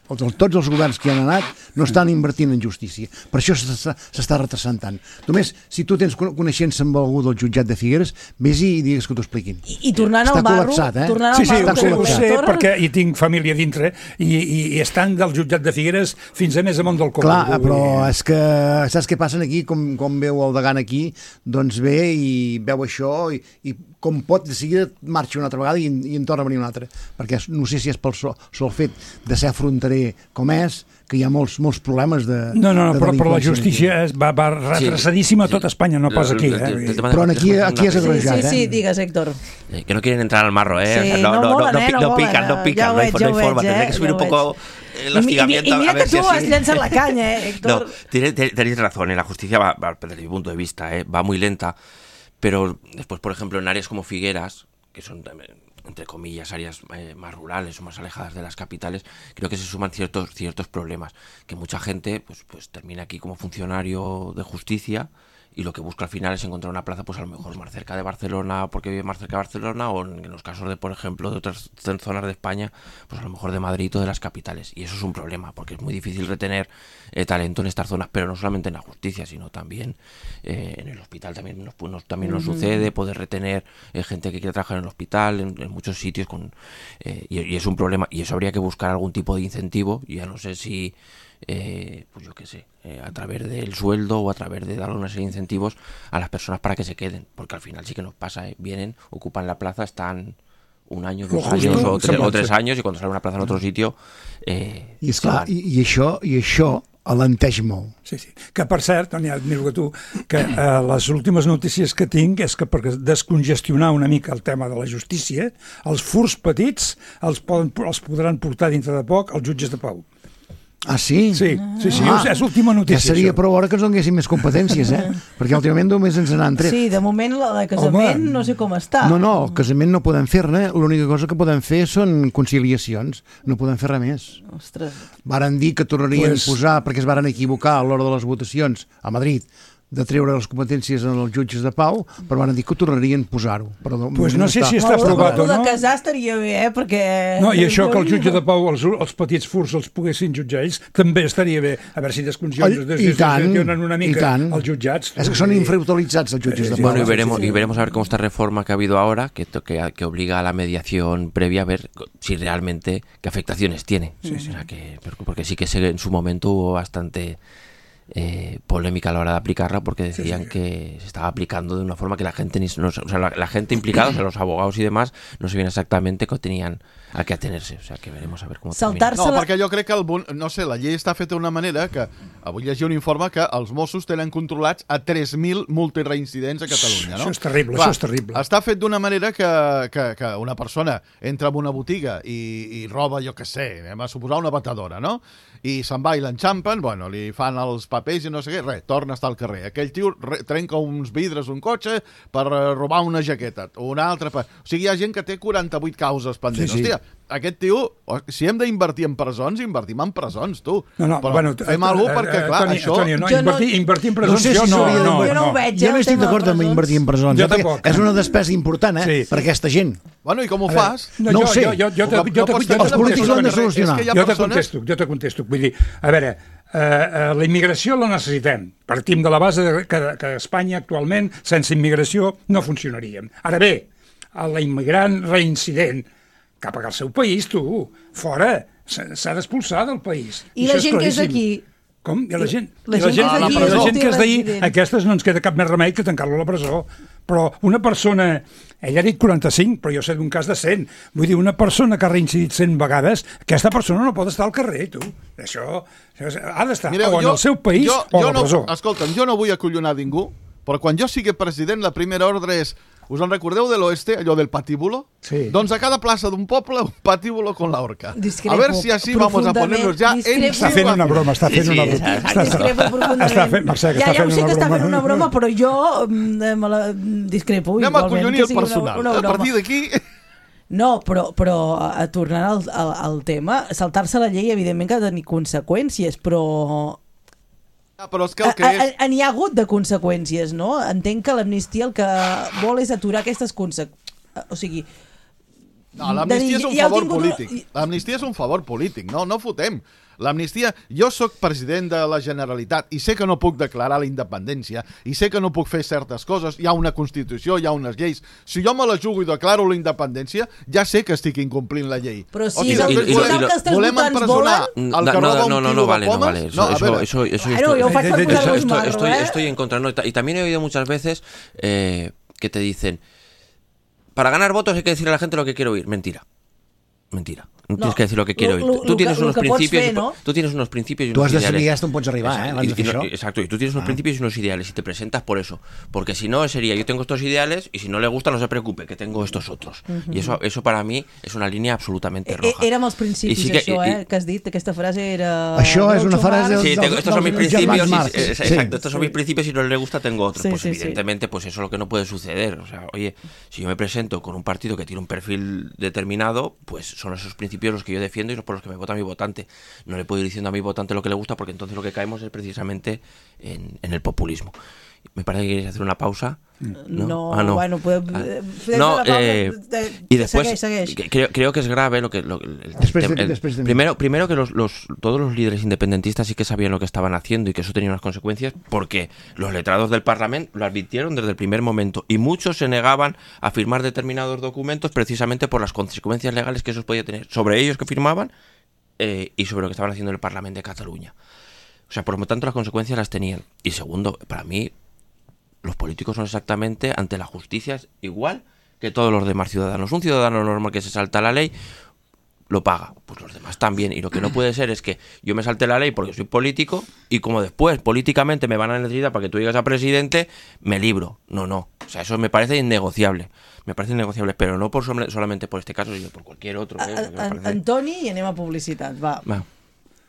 Tots els governs que hi han anat no estan invertint en justícia. Per això s'està retrasant tant. Només, si tu tens coneixença amb algú del jutjat de Figueres, vés i digues que t'ho expliquin. I, i tornant al barro... Eh? Tornant sí, sí, al barro, ho sé, ho sé perquè hi tinc família dintre i, i, i estan del jutjat de Figueres fins a més amunt del Congo. Clar, però és que saps què passen aquí? Com, com veu el degant aquí, doncs ve i veu això i, i com pot, de seguida marxa una altra vegada i, i en torna a venir una altra. Perquè no sé si és pel sol, sol fet de ser fronterer com és, que hi ha molts, molts problemes de... No, no, no de però, però la justícia és, va, va retrasadíssima a sí, tot Espanya, no pas aquí. Eh? Però aquí, aquí és agrejat, sí, sí, sí, eh? digues, Héctor. Eh, que no quieren entrar al marro, ¿eh? Sí, o sea, no, no, no, molen, no, eh? no, no, no pican, no pican, ja no hay, veig, no hay forma. Eh? Tendré que subir ja un poco el hostigamiento. I, i, i mira a ver que tu si has llançat la canya, eh, Héctor? No, tenéis, tenéis razón, ¿eh? La justicia va, va, desde mi punto de vista, ¿eh? va muy lenta, pero después, por ejemplo, en áreas como Figueras, que son entre comillas áreas eh, más rurales o más alejadas de las capitales, creo que se suman ciertos ciertos problemas, que mucha gente pues pues termina aquí como funcionario de justicia y lo que busca al final es encontrar una plaza pues a lo mejor más cerca de Barcelona porque vive más cerca de Barcelona, o en los casos de, por ejemplo, de otras zonas de España, pues a lo mejor de Madrid o de las capitales, y eso es un problema porque es muy difícil retener eh, talento en estas zonas, pero no solamente en la justicia, sino también eh, en el hospital también nos, nos, también nos uh-huh. sucede, poder retener eh, gente que quiere trabajar en el hospital, en, en muchos sitios, con eh, y, y es un problema, y eso habría que buscar algún tipo de incentivo, ya no sé si Eh, pues yo qué sé, eh, a través del sueldo o a través de dar una serie de incentivos a las personas para que se queden, porque al final sí que nos pasa, ¿eh? Vienen, ocupan la plaza, están un año, dos años o tres, o tres años, y cuando sale una plaza en otro sitio eh, i, esclar, i, i això i això alenteix molt. Sí, sí. Que per cert, Toni, admiro que tu, que eh, les últimes notícies que tinc és que per descongestionar una mica el tema de la justícia, els furs petits els, poden, els podran portar dintre de poc els jutges de pau. Ah, sí? Sí, sí, sí, Ah, és l'última notícia. Ja seria això. prou hora que ens donessin més competències, eh? Perquè últimament només ens n'han tret. Sí, de moment la de casament Home. no sé com està. No, no, el casament no podem fer-ne, l'única cosa que podem fer són conciliacions, no podem fer res més. Ostres. Varen dir que tornarien Pues- a posar, perquè es varen equivocar a l'hora de les votacions a Madrid, de treure les competències als jutges de pau, però van dir que ho tornarien a posar-ho. Però de Pues moment no sé si està- està aprovat o El de no. casar estaria bé, eh? Perquè... No, i això que el jutge de Pau, els, els petits furs els poguessin jutjar ells, també estaria bé. A veure si desconcionen I tant, una i mica tant. els jutjats. És que són infrautilitzats els jutges de Sí, pau. Bueno, y sí, veremos, sí. y veremos a ver cómo esta reforma que ha habido ahora, que, to- que, que obliga a la mediación previa, a ver si realmente qué afectaciones tiene. O sea, que, porque sí que se, en su momento hubo bastante eh, polémica a la hora de aplicarla, porque decían que se estaba aplicando de una forma que la gente, ni, no, o sea, la, la gente implicada, o sea, los abogados y demás, no sabían exactamente qué tenían a qué atenerse. O sea, que veremos a ver cómo termina. Saltar-se No, la... perquè jo crec que el, bon- no sé, la llei està feta d'una manera que avui llegia un informe que els Mossos tenen controlats a tres mil multireincidents a Catalunya, no? Això és terrible, Clar, això és terrible. Està fet d'una manera que, que, que una persona entra en una botiga i, i roba, jo què sé, anem a suposar una batedora, no? I se'n va i l'enxampen, bueno, li fan els papers i no sé què, res, torna a estar al carrer. Aquell tio re, trenca uns vidres d'un cotxe per eh, robar una jaqueta, un altre... Per... O sigui, hi ha gent que té quaranta-vuit causes pendents. Sí, sí. Hòstia, aquest tio, si hem d'invertir en presons, invertim en presons, tu. No, no, Però bueno, fem alguna cosa perquè, clar, Toni, això... Toni, no, Jo no- invertir, invertir en No presons, sé si jo no, s'hauria no, de- Jo no ho no. veig, Jo eh, no el estic tema de d'acord amb presons. invertir en presons, Jo eh, perquè tampoc. és una despesa important, eh, Sí. per aquesta gent. Bueno, i com ho A veure, fas? No, No jo, ho sé. Jo, jo, jo, te- No- jo, no te- pots jo, fer te els polítics una ho han de cosa, solucionar. és que hi ha jo te persones- contesto, jo te contesto. Vull dir, a veure, eh, eh, la immigració la necessitem. Partim de la base de que, que a Espanya actualment, sense immigració, no funcionaríem. Ara bé, a la immigrant reincident cap al seu país, tu, fora, s'ha s'ha d'expulsar del país. I Això la gent que és claríssim. d'aquí? Com? I la gent, La i la gent gent, que és i d'aquí la és gent que és d'ahir, multiresident. aquestes no ens queda cap més remei que tancar-lo a la presó. Però una persona, ella ha dit quaranta-cinc, però jo sé d'un cas de cent. Vull dir, una persona que ha reincidit cent vegades, aquesta persona no pot estar al carrer, tu. Això, això ha d'estar Mireu, o en el seu país jo, o a jo la no, presó. Escolta'm, jo no vull acollonar ningú, però quan jo sigui president, la primera ordre és... Us en recordeu de l'oeste, allò del patíbulo? Sí. Doncs a cada plaça d'un poble, un patíbulo con la horca. Discrepo A ver si así vamos a profundament, ponernos ya en discrepo. Està fent una broma, està fent Sí, sí, una broma. exacte. Està- Discrepo profundament. Està fent, Mercè, que ja, està ja ho fent sé una que està broma. fent una broma, però jo mm, me la discrepo Anem a igualment. collonir que el sigui una- personal. una A broma. partir d'aquí... No, però, però a, tornant al, al, al tema, saltar-se la llei evidentment que ha de tenir conseqüències, però Ah, però és que el que a- és... a- n'hi ha hagut de conseqüències, no? Entenc que l'amnistia el que vol és aturar aquestes conseqüències. O sigui... No, l'amnistia és un ja heu favor tingut una- polític. L'amnistia és un favor polític, no, no fotem. L'amnistia... Jo sóc president de la Generalitat i sé que no puc declarar la independència i sé que no puc fer certes coses. Hi ha una Constitució, hi ha unes lleis. Si jo me la jugo i declaro la independència, ja sé que estic incomplint la llei. Però si O sigui, és el, i- si i- és el i- que els teus volem votants empresonar volen... el No, que no, roba un no, no, quilo no vale, de no pomes? vale. Eso, No, a eso, veure. eso, eso, Bueno, estoy, yo faig per Eso- posar-vos estoy, marro, estoy, eh? estoy en contra. No, y también he oído muchas veces eh, que te dicen, para ganar votos hay que decirle a la gente lo que quiero oír. Mentira. Mentira. No, No, tienes que decir lo que quiero lo- oír. lo- Tú lo tienes que- lo unos que pots principios, fer, y- no? tú tienes unos principios y Tu unos has de saber ideales. hasta on pots arribar, eh, abans de fer y, això. y- exacto, y tú tienes unos Ah. principios y unos ideales y te presentas por eso. Porque si no sería, yo tengo estos ideales y si no le gusta no se preocupe, que tengo estos otros. Y eso eso para mí es una línea absolutamente Eh, roja. Érem els principis, I sí que- això, i- eh, que has dit, aquesta frase era... Això és una Groucho frase Marx. Sí, dels- tengo- estos son mis dels principios. germans y- Marx. eh, Sí. exacto, estos son mis principios y no le gusta tengo otros. Sí, pues sí, sí. evidentemente, pues eso es lo que no puede suceder. O sea, oye, si yo me presento con un partido que tiene un perfil determinado, pues son esos principios los que yo defiendo y los por los que me vota mi votante. No le puedo ir diciendo a mi votante lo que le gusta porque entonces lo que caemos es precisamente en, en el populismo. Me parece que queréis hacer una pausa. No, No, Ah, no. bueno, podem... Ah. eh, fem No, la pausa, eh, eh, y después segueix, segueix. que- creo, creo que es grave lo que lo- el- Después el- de- el- después de mí. primero primero que los, los todos los líderes independentistas sí que sabían lo que estaban haciendo y que eso tenía unas consecuencias porque los letrados del Parlamento lo advirtieron desde el primer momento y muchos se negaban a firmar determinados documentos precisamente por las consecuencias legales que eso podía tener sobre ellos que firmaban eh, y sobre lo que estaban haciendo en el Parlamento de Cataluña. O sea, por lo tanto las consecuencias las tenían. Y segundo, para mí los políticos son exactamente ante la justicia es igual que todos los demás ciudadanos. Un ciudadano normal que se salta la ley lo paga, pues los demás también. Y lo que no puede ser es que yo me salte la ley porque soy político y como después políticamente me van a necesitar para que tú llegues a presidente, me libro. No, no. O sea, eso me parece innegociable. Me parece innegociable, pero no por solamente por este caso, sino por cualquier otro. ¿eh? A- Porque me a- parece- Antoni, i anem a publicitat, va. Va.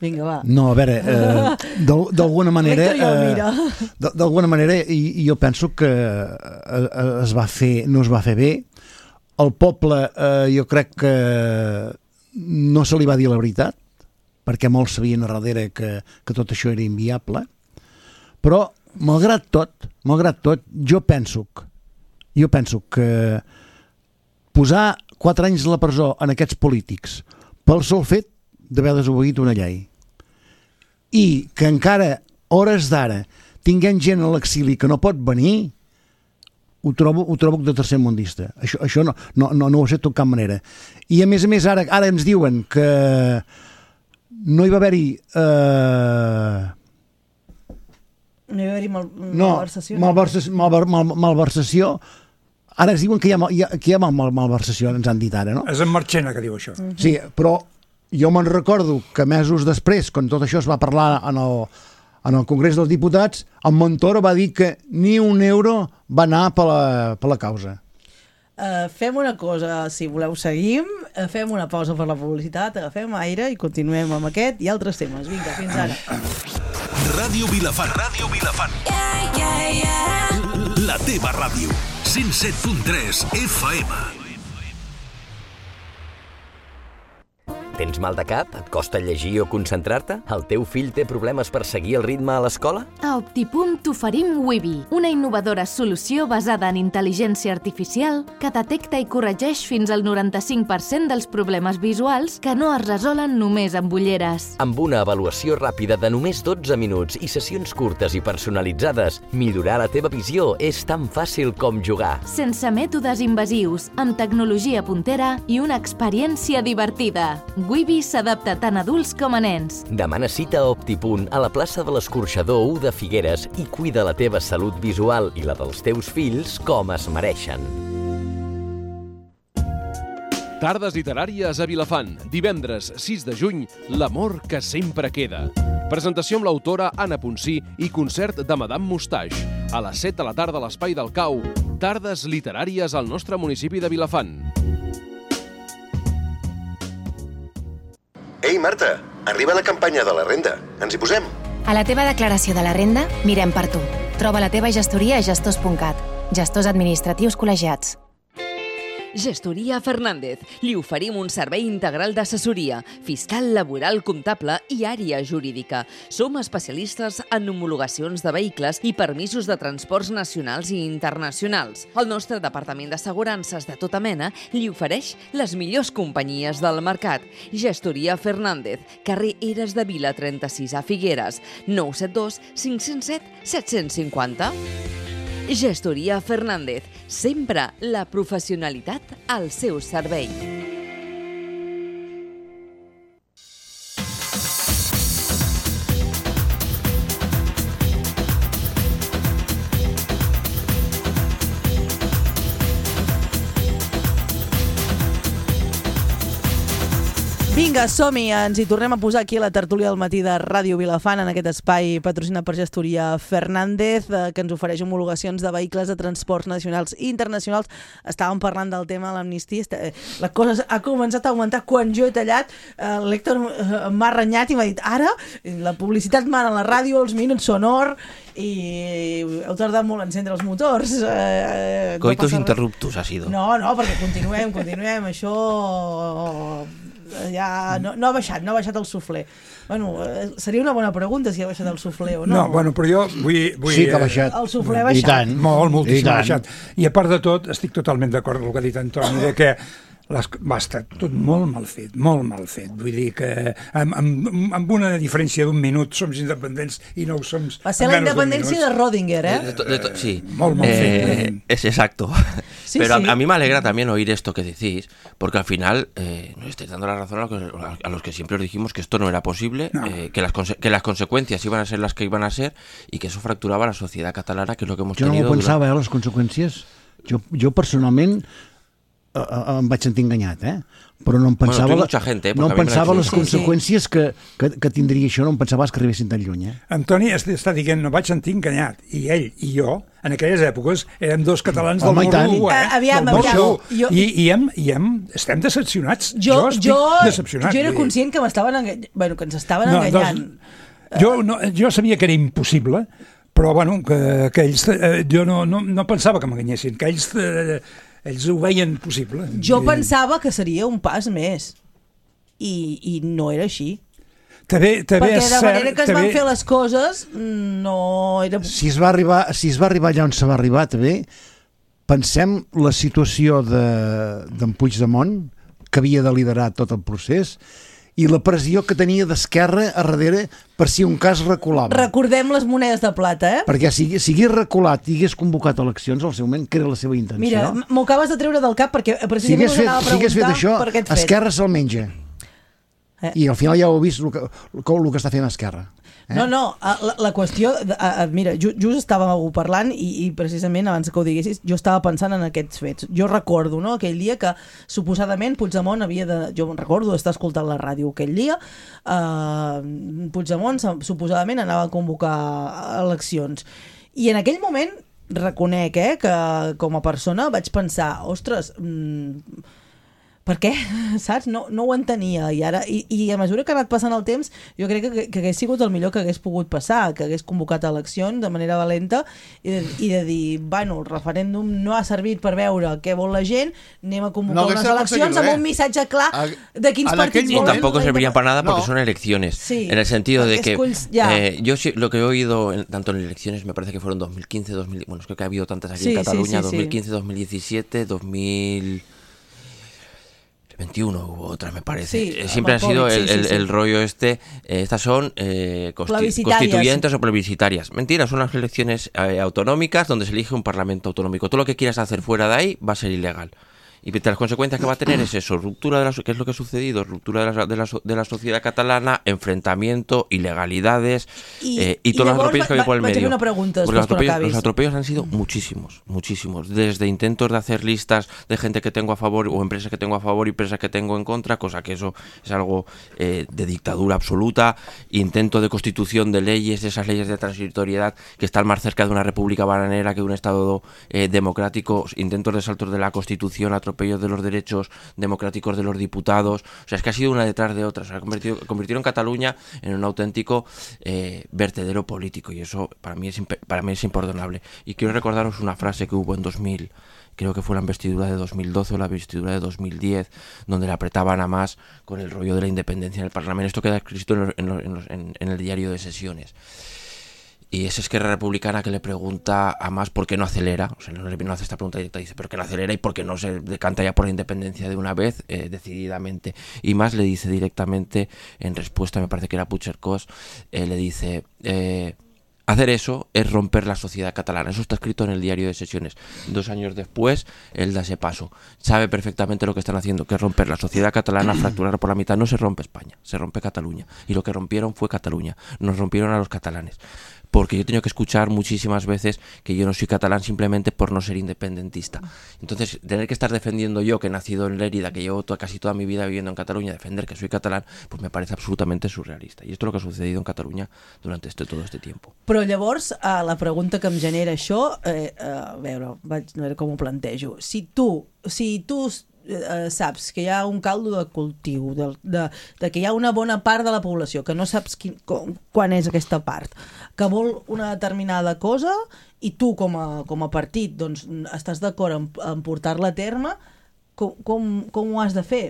Vinga, va. No, a veure, eh, d'alguna manera... L'Héctor ja ho mira. Eh, d'alguna manera, i, i jo penso que es va fer, no es va fer bé. El poble, eh, jo crec que no se li va dir la veritat, perquè molts sabien a darrere que, que tot això era inviable. Però, malgrat tot, malgrat tot, jo penso que, jo penso que posar quatre anys a la presó en aquests polítics pel sol fet d'haver desobeït una llei i que encara, hores d'ara, tinguem gent a l'exili que no pot venir, ho trobo, ho trobo de tercer mundista. Això, això no, no, no, no ho accepto de cap manera. I a més a més, ara, ara ens diuen que no hi va haver-hi... Eh... No hi va haver-hi mal, no, malversació. Malversació, mal, mal, malversació. Ara ens diuen que hi ha, hi ha, que hi ha mal, mal, malversació, ens han dit ara, no? És en Marchena que diu això. Mm-hmm. Sí, però jo me'n recordo que mesos després, quan tot això es va parlar en el, en el Congrés dels Diputats, en Montoro va dir que ni un euro va anar per la, per la causa. Uh, fem una cosa, si voleu seguim, uh, fem una pausa per la publicitat, agafem aire i continuem amb aquest i altres temes. Vinga, fins ara. Ràdio Vilafant. Ràdio Vilafant. Yeah, yeah, yeah. La teva ràdio. cent set punt tres F M. Tens mal de cap? Et costa llegir o concentrar-te? El teu fill té problemes per seguir el ritme a l'escola? A Optipunt t'oferim Wibi, una innovadora solució basada en intel·ligència artificial que detecta i corregeix fins al noranta-cinc per cent dels problemes visuals que no es resolen només amb ulleres. Amb una avaluació ràpida de només dotze minuts i sessions curtes i personalitzades, millorar la teva visió és tan fàcil com jugar. Sense mètodes invasius, amb tecnologia puntera i una experiència divertida. Wibi s'adapta tant a adults com a nens. Demana cita a Optipunt a la plaça de l'Escorxador u de Figueres i cuida la teva salut visual i la dels teus fills com es mereixen. Tardes literàries a Vilafant. Divendres sis de juny, L'amor que sempre queda. Presentació amb l'autora Anna Ponsí i concert de Madame Moustache. A les set de la tarda a l'Espai del Cau. Tardes literàries al nostre municipi de Vilafant. Ei, Marta, arriba la campanya de la renda. Ens hi posem? A la teva declaració de la renda, mirem per tu. Troba la teva gestoria a gestors punt cat. Gestors administratius col·legiats. Gestoria Fernández. Li oferim un servei integral d'assessoria, fiscal, laboral, comptable i àrea jurídica. Som especialistes en homologacions de vehicles i permisos de transports nacionals i internacionals. El nostre departament d'assegurances de tota mena li ofereix les millors companyies del mercat. Gestoria Fernández, carrer Eres de Vila trenta-sis a Figueres, nou set dos cinc zero set set cinc zero. Gestoria Fernández, sempre la professionalitat al seu servei. Vinga, som-hi, ens hi tornem a posar aquí a la tertúlia del matí de Ràdio Vilafant, en aquest espai patrocinat per Gestoria Fernández, eh, que ens ofereix homologacions de vehicles de transports nacionals i internacionals. Estàvem parlant del tema de l'amnistia. Eh, la cosa ha començat a augmentar quan jo he tallat. Eh, L'Héctor eh, m'ha renyat i m'ha dit ara la publicitat mana a la ràdio, els minuts són or i heu tardat molt a encendre els motors. Eh, Coitus no interruptus ha sido. No, no, perquè continuem, continuem. Això... ja no, no ha baixat, no ha baixat el suflé. Bueno, seria una bona pregunta si ha baixat el suflé o no. No, bueno, però jo vull... vull sí que ha baixat. El suflé ha baixat. I tant. Molt, moltíssim I ha baixat. I a part de tot, estic totalment d'acord amb el que ha dit Antoni, de que les, va estar tot molt mal fet, molt mal fet. Vull dir que amb, amb, amb una diferència d'un minut som independents i no ho som... Va ser la independència de Rödinger, ¿eh? De to, de to, sí. Molt mal fet. Eh, es exacto. Sí, Pero sí. A, a mí me alegra también oír esto que decís, porque al final eh, nos estáis dando la razón a los, que, a los que siempre os dijimos que esto no era posible, no. eh, que, las que las consecuencias iban a ser las que iban a ser y que eso fracturaba la sociedad catalana, que es lo que hemos jo tenido... Jo no ho pensava, durant... eh, les conseqüències. Jo, jo personalment em vaig sentir enganyat, eh? Però no em pensava, bueno, mucha gente, eh, no em pensava les sí, conseqüències sí. que, que, que tindria això, no em pensava que arribessin tan lluny. Eh? Antoni està dient, no vaig sentir enganyat, i ell i jo, en aquelles èpoques, érem dos catalans Home, del morro, eh? Aviam, del aviam. Jo... I, i, hem, i hem, estem decepcionats. Jo, jo estic jo, decepcionat. Jo era conscient que m'estaven enganyant, bueno, que ens estaven no, enganyant. Doncs, jo, no, jo sabia que era impossible, però bueno, que, que ells, eh, jo no, no, no pensava que m'enganyessin, que ells... Eh, ells ho veien possible. Jo pensava que seria un pas més i, i no era així. També, també perquè és de manera cert, que es també... van fer les coses no era... Si es va arribar, si es va arribar allà on se va arribar també, pensem la situació d'en de, Puigdemont, que havia de liderar tot el procés, i la pressió que tenia d'Esquerra a darrere per si un cas reculava. Recordem les monedes de plata, eh? Perquè si, si hagués reculat i hagués convocat eleccions al seu moment, que era la seva intenció... Mira, m'ho acabes de treure del cap perquè precisament si us anava a preguntar si fet això, per aquest fet. Esquerra se'l menja. Eh. I al final ja ho heu vist el que, el que està fent Esquerra. Eh? No, no, la, la qüestió... Uh, mira, just, just estàvem parlant i, i precisament abans que ho diguessis jo estava pensant en aquests fets. Jo recordo, no?, aquell dia que suposadament Puigdemont havia de... Jo recordo estar escoltant la ràdio aquell dia. Uh, Puigdemont suposadament anava a convocar eleccions. I en aquell moment reconec eh, que com a persona vaig pensar, ostres... Mm, per què? Saps? No, no ho entenia i, ara, i, i a mesura que ha anat passant el temps jo crec que, que hagués sigut el millor que hagués pogut passar, que hagués convocat eleccions de manera valenta i de, i de dir, bueno, el referèndum no ha servit per veure què vol la gent, anem a convocar no, unes eleccions amb un missatge clar de quins partits volen. Y tampoco servirían para nada porque no. son elecciones, sí, en el sentido de que eh, yo lo que he oído en, tanto en elecciones, me parece que fueron dos mil quince, dos mil, bueno, es que ha habido tantas aquí sí, en Cataluña, sí, sí, dos mil quince, sí. dos mil diecisiete, dos mil veintiuno hubo otra, me parece. Sí, eh, siempre ha sido el, sí, el, sí, el sí. rollo este. Eh, estas son eh, consti constituyentes o plebiscitarias. Mentira, son las elecciones eh, autonómicas donde se elige un parlamento autonómico. Todo lo que quieras hacer fuera de ahí va a ser ilegal. Y las consecuencias que va a tener es eso, ruptura de la, ¿qué es lo que ha sucedido? Ruptura de la, de la, de la sociedad catalana, enfrentamiento, ilegalidades y, eh, y, y todos los atropellos que había por el medio. Una pregunta, Porque los atropellos, los atropellos han sido muchísimos, muchísimos. Desde intentos de hacer listas de gente que tengo a favor o empresas que tengo a favor y empresas que tengo en contra, cosa que eso es algo eh, de dictadura absoluta, intento de constitución de leyes, de esas leyes de transitoriedad que están más cerca de una república bananera que de un estado eh, democrático, intentos de saltos de la constitución, atropellos de los derechos democráticos de los diputados, o sea, es que ha sido una detrás de otra, o sea, ha convertido, convirtieron Cataluña en un auténtico eh, vertedero político y eso para mí es para mí es imperdonable. Y quiero recordaros una frase que hubo en dos mil, creo que fue la investidura de dos mil doce o la investidura de dos mil diez, donde le apretaban a más con el rollo de la independencia en el Parlamento. Esto queda escrito en, los, en, los, en, los, en, en el diario de sesiones. Y es Esquerra Republicana que le pregunta a Mas por qué no acelera, o sea, no, no hace esta pregunta directa, dice, ¿pero qué no acelera y por qué no se decanta ya por la independencia de una vez, eh, decididamente? Y Mas le dice directamente, en respuesta, me parece que era Puigcercós, eh, le dice, eh, hacer eso es romper la sociedad catalana. Eso está escrito en el diario de sesiones. Dos años después, él da ese paso. Sabe perfectamente lo que están haciendo, que es romper la sociedad catalana, fracturar por la mitad. No se rompe España, se rompe Cataluña. Y lo que rompieron fue Cataluña. Nos rompieron a los catalanes. Porque yo he tenido que escuchar muchísimas veces que yo no soy catalán simplemente por no ser independentista. Entonces, tener que estar defendiendo yo, que he nacido en Lérida, que llevo toda, casi toda mi vida viviendo en Cataluña, defender que soy catalán, pues me parece absolutamente surrealista. I esto es lo que ha sucedido en Catalunya durante este, todo este tiempo. Però llavors, eh, la pregunta que em genera això, eh, eh, a veure, vaig a veure com ho plantejo. Si tu, si tu eh, saps que hi ha un caldo de cultiu, de, de, de que hi ha una bona part de la població que no saps quin, com, quan és aquesta part, que vol una determinada cosa i tu com a, com a partit doncs, estàs d'acord en, en portar-la a terme, com, com, com ho has de fer?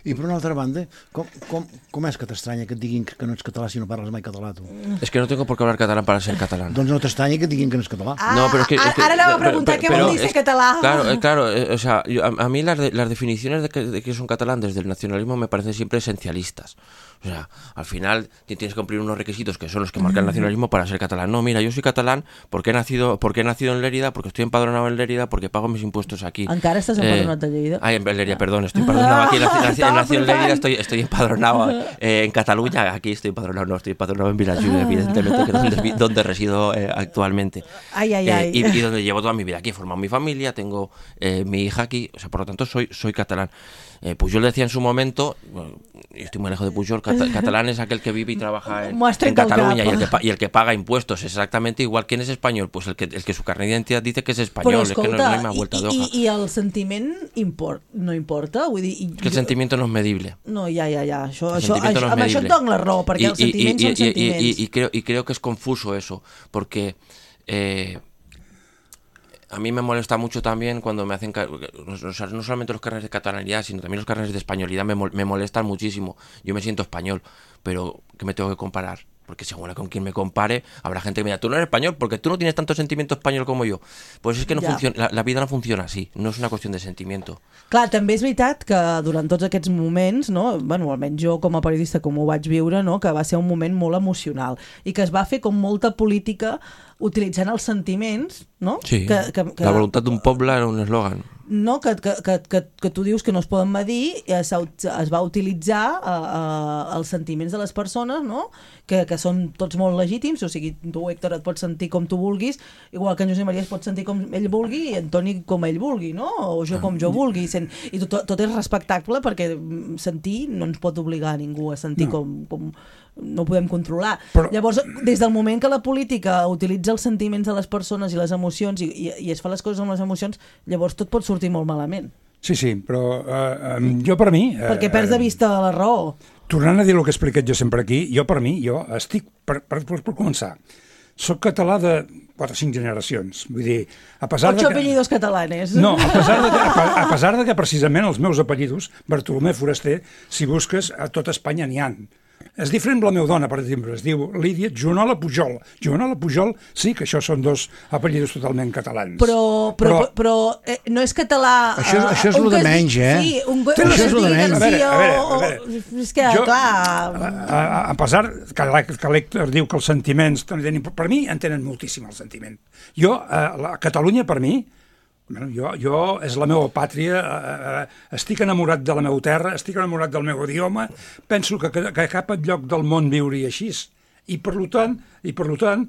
I per una altra banda, com, com, com és que t'estranya que et diguin que no ets català si no parles mai català, tu? Es que no tengo por qué hablar catalán para ser catalán. Doncs no t'estranya que et diguin que no ets català. Ah, no, pero es que, es que, ara anava a preguntar què vol dir ser català. Claro, claro, eh, o sea, yo, a, a mí las, de, las definiciones de que, de que es un catalán desde el nacionalismo me parecen siempre esencialistas. O sea, al final tienes que cumplir unos requisitos que son los que marca el nacionalismo para ser catalán. No, mira, yo soy catalán porque he nacido, porque he nacido en Lérida, porque estoy empadronado en Lérida, porque pago mis impuestos aquí. Encara estàs empadronat eh, a Lleida? Ay, en Lérida, perdón, estoy empadronado aquí, nací, nací nací en Lérida, estoy, estoy empadronado eh, en Cataluña, aquí estoy empadronado, no, estoy empadronado en Vilajuiga, evidentemente, que es donde, donde resido eh, actualmente. Ay, ay, ay. Eh, y, y donde llevo toda mi vida aquí, he formado mi familia, tengo eh, mi hija aquí, o sea, por lo tanto soy, soy catalán. Eh, Pujol decía en su momento, bueno, yo estoy muy lejos de Pujol, cata, catalán es aquel que vive y trabaja en, en Cataluña y el, que, y el que paga impuestos, exactamente igual. ¿Quién es español? Pues el que, el que su carnet d'identitat dice que és espanyol. Però escolta, es que no, no hay más vuelta i, de hoja. i, i el sentiment import, no importa? Vull dir, i, que el jo... sentimiento no es medible. No, ja, ja, ja. Això, el això, això, no amb això et dono la raó, perquè y, els sentiments y, y, són sentiments. Y, y, y, creo, y creo que es confuso eso, porque... Eh, a mí me molesta mucho también cuando me hacen, o sea, no solamente los carnets de catalanidad, sino también los carnets de españolidad me, me molestan muchísimo. Yo me siento español, pero ¿qué me tengo que comparar? Porque según con quien me compare, habrá gente que me diga, tú no eres español porque tú no tienes tanto sentimiento español como yo. Pues es que no ja. funciona, la, la vida no funciona así, no es una cuestión de sentimiento. Clar, també és veritat que durant tots aquests moments, no, bueno, almenys jo com a periodista com ho vaig viure, no, que va ser un moment molt emocional i que es va fer com molta política utilitzant els sentiments, no? Sí, que, que, que, la voluntad d'un poble era un eslògan. No, que, que, que, que, que tu dius que no es poden medir, es, es va utilitzar uh, uh, els sentiments de les persones, no? que, que són tots molt legítims, o sigui, tu, Héctor, et pots sentir com tu vulguis, igual que en Josep Maria es pot sentir com ell vulgui i en Toni com ell vulgui, no? O jo com jo vulgui, sent... i tot, tot és respectable perquè sentir no ens pot obligar a ningú a sentir no. com... com no ho podem controlar. Però... Llavors, des del moment que la política utilitza els sentiments de les persones i les emocions i, i, i es fa les coses amb les emocions, llavors tot pot sortir molt malament. Sí, sí, però uh, um, jo per mi... Uh, Perquè perds de vista la raó. Tornant a dir el que he explicat jo sempre aquí, jo per mi, jo estic, per, per, per, per començar, soc català de quatre o cinc generacions. Vull dir, a pesar Ocho de que... apellidos catalanes. No, a pesar, de que, a, a pesar de que precisament els meus apellidos, Bartolomé Foraster, si busques, a tot Espanya n'hi ha. És diferent amb la meva dona, per exemple, es diu Lídia Joanola Pujol. Joanola Pujol, sí que això són dos apellidos totalment catalans. Però, però, però, però eh, no és català... Això, uh, això és el de menys, eh? Sí, un, això un és el de menys. A veure, a veure, a veure. És que, jo, clar... A, a, a pesar que, que l'Héctor diu que els sentiments... Per mi en tenen moltíssim el sentiment. Jo, a, a Catalunya, per mi, bueno, jo, jo és la meva pàtria, eh, estic enamorat de la meva terra, estic enamorat del meu idioma, penso que, que, que cap lloc del món viuria així. I per tant, i per tant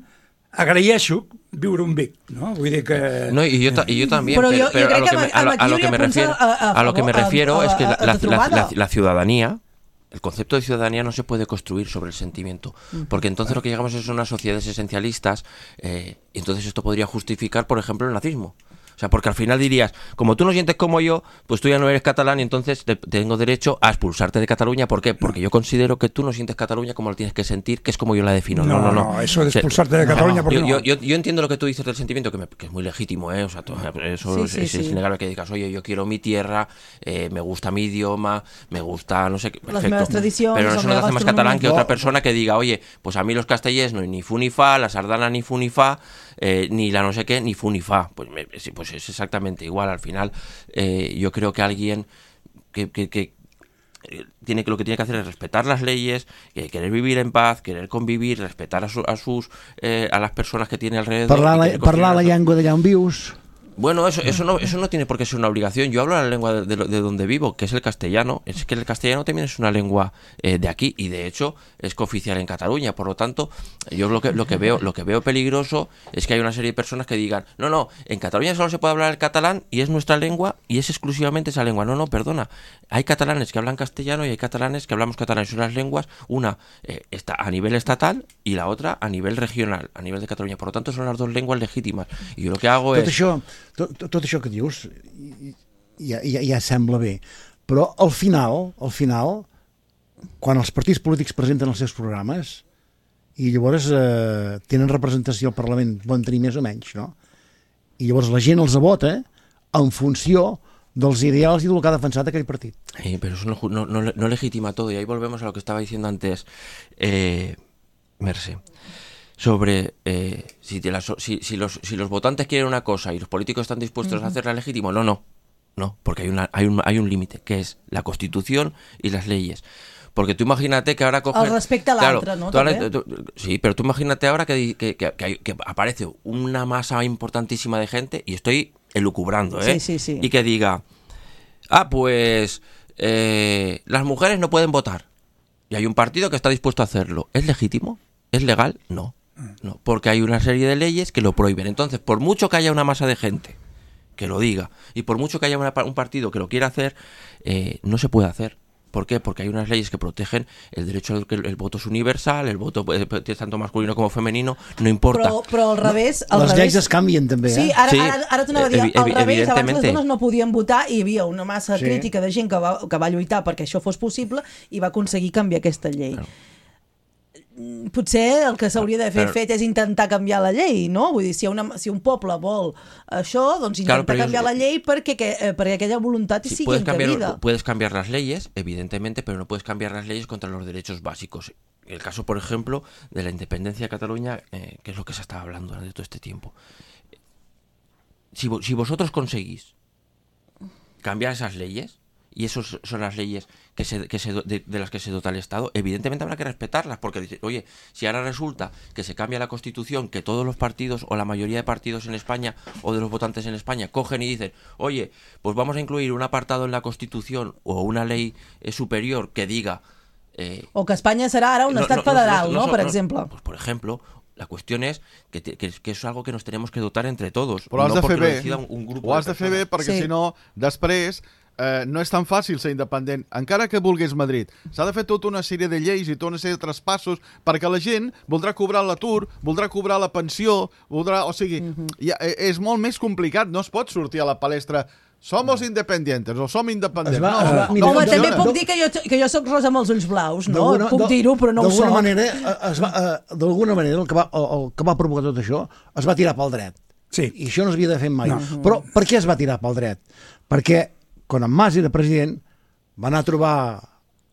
agraeixo viure un Vic, ¿no? Vull dir que... No, y yo, y yo también, pero, pero, yo, pero yo a, lo que me, a, lo, a lo que me refiero, a, a, a lo que me refiero a, a, es que la, la, la, la, la ciudadanía, el concepto de ciudadanía no se puede construir sobre el sentimiento, porque entonces lo que llegamos es unas sociedades esencialistas, eh, y entonces esto podría justificar, por ejemplo, el nazismo. O sea, porque al final dirías, como tú no sientes como yo, pues tú ya no eres catalán y entonces te, tengo derecho a expulsarte de Cataluña. ¿Por qué? Porque yo considero que tú no sientes Cataluña como lo tienes que sentir, que es como yo la defino. No, no, no. no eso de expulsarte de Cataluña, ¿por qué yo, no? Yo, yo, yo entiendo lo que tú dices del sentimiento, que, me, que es muy legítimo, ¿eh? O sea, todo, eso sí, es, sí, es, sí. es innegable que digas, oye, yo quiero mi tierra, eh, me gusta mi idioma, me gusta, no sé qué, perfecto. Las tradiciones, pero eso no hace más catalán que otra persona que diga, oye, pues a mí los castellers no, ni fu ni fa, la sardana ni fu ni fa, eh, ni la no sé qué, ni fu ni fa. Pues, me, pues es exactamente igual. Al final, eh, yo creo que alguien que, que, que tiene que lo que tiene que hacer es respetar las leyes, eh, querer vivir en paz, querer convivir, respetar a, su, a sus eh, a las personas que tiene alrededor. Parlar la, parlar la llengua d'allà on vius. Bueno, eso, eso, no, eso no tiene por qué ser una obligación. Yo hablo la lengua de, de, de donde vivo, que es el castellano. Es que el castellano también es una lengua eh, de aquí y de hecho es cooficial en Cataluña. Por lo tanto, yo lo que, lo que veo lo que veo peligroso es que hay una serie de personas que digan, no, no, en Cataluña solo se puede hablar el catalán y es nuestra lengua y es exclusivamente esa lengua. No, no, perdona. Hay catalanes que hablan castellano y hay catalanes que hablamos catalán. Son las lenguas, una eh, está a nivel estatal y la otra a nivel regional, a nivel de Cataluña. Por lo tanto, son las dos lenguas legítimas. Y yo lo que hago Tot es... Això... Tot, tot això que dius ja, ja, ja sembla bé, però al final, al final, quan els partits polítics presenten els seus programes i llavors eh, tenen representació al Parlament, poden tenir més o menys, no? I llavors la gent els vota en funció dels ideals i del que ha defensat aquell partit. Sí, pero eso no, no, no, no legitima todo y ahí volvemos a lo que estaba diciendo antes eh, Merce. Sobre eh, si, de la, si, si, los, si los votantes quieren una cosa y los políticos están dispuestos uh-huh. a hacerla legítimo, no, no, no, porque hay, una, hay un, hay un límite, que es la Constitución y las leyes. Porque tú imagínate que ahora cogen... El respecte a l'altre, claro, ¿no? Ahora, tú, sí, pero tú imagínate ahora que, que, que, que, hay, que aparece una masa importantísima de gente, y estoy elucubrando, ¿eh? Sí, sí, sí. Y que diga, ah, pues... eh, las mujeres no pueden votar. Y hay un partido que está dispuesto a hacerlo. ¿Es legítimo? ¿Es legal? No. No, porque hay una serie de leyes que lo prohíben. Entonces, por mucho que haya una masa de gente que lo diga, y por mucho que haya una, un partido que lo quiera hacer, eh, no se puede hacer. ¿Por qué? Porque hay unas leyes que protegen el derecho al que el, el voto es universal, el voto es tanto masculino como femenino, no importa. Però, però al revés... Al Les revés... lleis es canvien també, eh? Sí, ara, sí, ara, ara t'anava a dir, evi al revés, abans les evidentemente. dones no podien votar i hi havia una massa Sí. crítica de gent que va, que va lluitar perquè això fos possible i va aconseguir canviar aquesta llei. Claro. Potser el que s'hauria d'haver Però- fet és intentar canviar la llei, no? Vull dir, si, una, si un poble vol això, doncs intentar Claro, pero canviar yo- la llei perquè, que, eh, perquè aquella voluntat Sí, sigui puedes encabida. cambiar, puedes cambiar las leyes, evidentemente, pero no puedes cambiar las leyes contra los derechos básicos. El caso, por ejemplo, de la independencia de Cataluña, eh, que es lo que se estaba hablando durante todo este tiempo. Si, vo- si vosotros conseguís cambiar esas leyes, y esas son las leyes que se, que se, do- de, de las que se dota el Estado, evidentemente habrá que respetarlas, porque, dice, oye, si ahora resulta que se cambia la Constitución, que todos los partidos o la mayoría de partidos en España o de los votantes en España cogen y dicen, oye, pues vamos a incluir un apartado en la Constitución o una ley eh, superior que diga... eh, O que Espanya serà ara un no, estat no, no, federal, no, no? no, Per no, exemple. Pues, por ejemplo, la cuestión es que, te- que, que es algo que nos tenemos que dotar entre todos. Però has no de porque fer lo bé. decida un, un grupo Ho has de fer bé personas. perquè Sí. si no, després eh, no és tan fàcil ser independent, encara que vulguis Madrid. S'ha de fer tota una sèrie de lleis i tota una sèrie de traspassos perquè la gent voldrà cobrar l'atur, voldrà cobrar la pensió, voldrà... O sigui, Mhm. ja, eh, és molt més complicat. No es pot sortir a la palestra somos independientes o som independents. Es va- no, es va- no, mira, no Home, també funciona. puc dir que jo, que jo soc rosa amb els ulls blaus, no? D'alguna- Puc de- dir-ho, però no ho d'alguna soc. manera, eh, es va, eh, d'alguna manera el que, va, el, el que va provocar tot això es va tirar pel dret. Sí. I això no s'havia de fer mai. No. Però per què es va tirar pel dret? Perquè quan en Mas era president va anar a trobar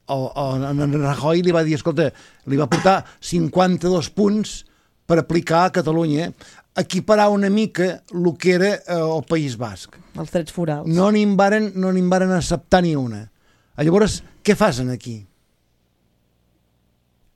el, el, en Rajoy i li va dir, escolta, li va portar cinquanta-dos punts per aplicar a Catalunya, equiparar una mica el que era eh, el País Basc. Els drets forals. No n'hi varen, no n'hi varen acceptar ni una. Llavors, què fan aquí?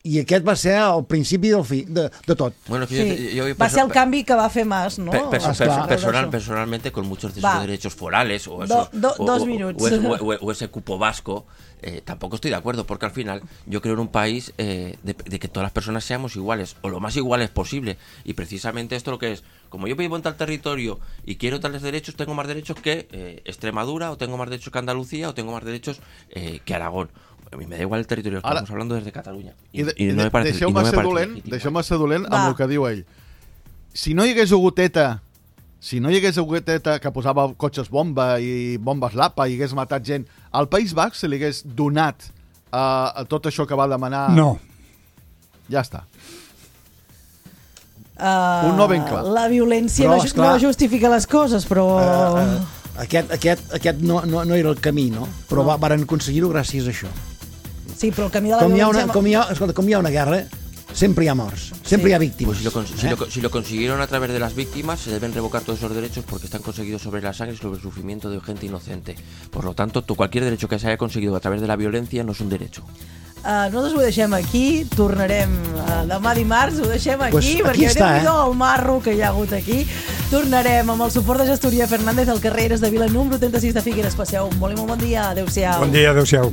I aquest va ser el principi del fi, de, de tot. Bueno, que Sí. yo, yo- Va perso- ser el canvi que va fer Mas, no? Per- perso- Ah, perso- clar. personal, Això. personalmente, con muchos de Va. esos derechos forales o, Do- eso, do- o- dos o- minutos. o ese, o- o ese cupo vasco, eh, tampoco estoy de acuerdo, porque al final yo creo en un país eh, de, de que todas las personas seamos iguales, o lo más iguales posible, y precisamente esto lo que es, como yo vivo en tal territorio y quiero tales derechos, tengo más derechos que eh, Extremadura, o tengo más derechos que Andalucía, o tengo más derechos eh, que Aragón. A mí me da igual el territorio, Ara- estamos hablando desde Cataluña. I, de, y no me parece, y deixeu-me no me ser parece dolent, legítimo. deixeu-me ser dolent Va. amb el que diu ell. Si no hi hagués hagut ETA, si no hi hagués hagut ETA que posava cotxes bomba i bombes lapa i hagués matat gent, al País Basc se li hagués donat uh, a tot això que va demanar... No. Ja està. Uh, Un no ben clar. La violència Però, no, ju- esclar, no justifica les coses, però... Uh, uh, aquest aquest, aquest no, no, no era el camí, no? Però va, varen aconseguir-ho gràcies a això. Sí, però el camí de la Com hi, ha violència... una, com, hi ha, escolta, com hi ha una guerra, sempre hi ha morts, sempre Sí. hi ha víctimes. Pues si lo, cons- si, eh? lo, si lo consiguieron a través de las víctimas, se deben revocar todos esos derechos porque están conseguidos sobre la sangre y sobre el sufrimiento de gente inocente. Por lo tanto, tú, cualquier derecho que se haya conseguido a través de la violencia no es un derecho. Uh, nosaltres ho deixem aquí, tornarem uh, demà dimarts, ho deixem aquí, Pues aquí perquè està, déu-n'hi-do eh? el marro que hi ha hagut aquí. Tornarem amb el suport de Gestoria Fernández al carrer Eres de Vila, número trenta-sis de Figueres. Passeu un molt i molt bon dia. Adéu-siau. Bon dia, adéu-siau.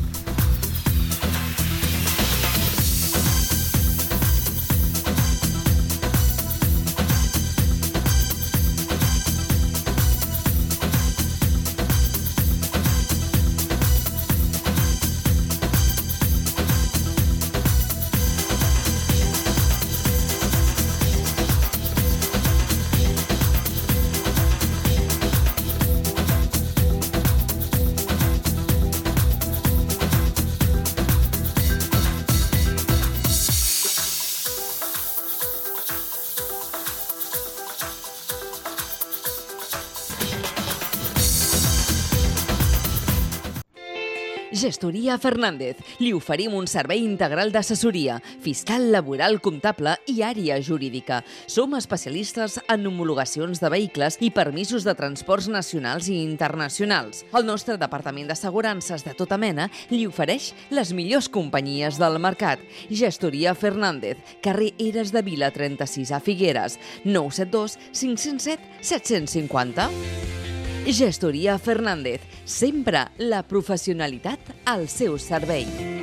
Gestoria Fernández. Li oferim un servei integral d'assessoria, fiscal, laboral, comptable i àrea jurídica. Som especialistes en homologacions de vehicles i permisos de transports nacionals i internacionals. El nostre departament d'assegurances de tota mena li ofereix les millors companyies del mercat. Gestoria Fernández, carrer Eres de Vila trenta-sis a Figueres, nou set dos cinc zero set set cinquanta. Gestoria Fernández, sempre la professionalitat al seu servei.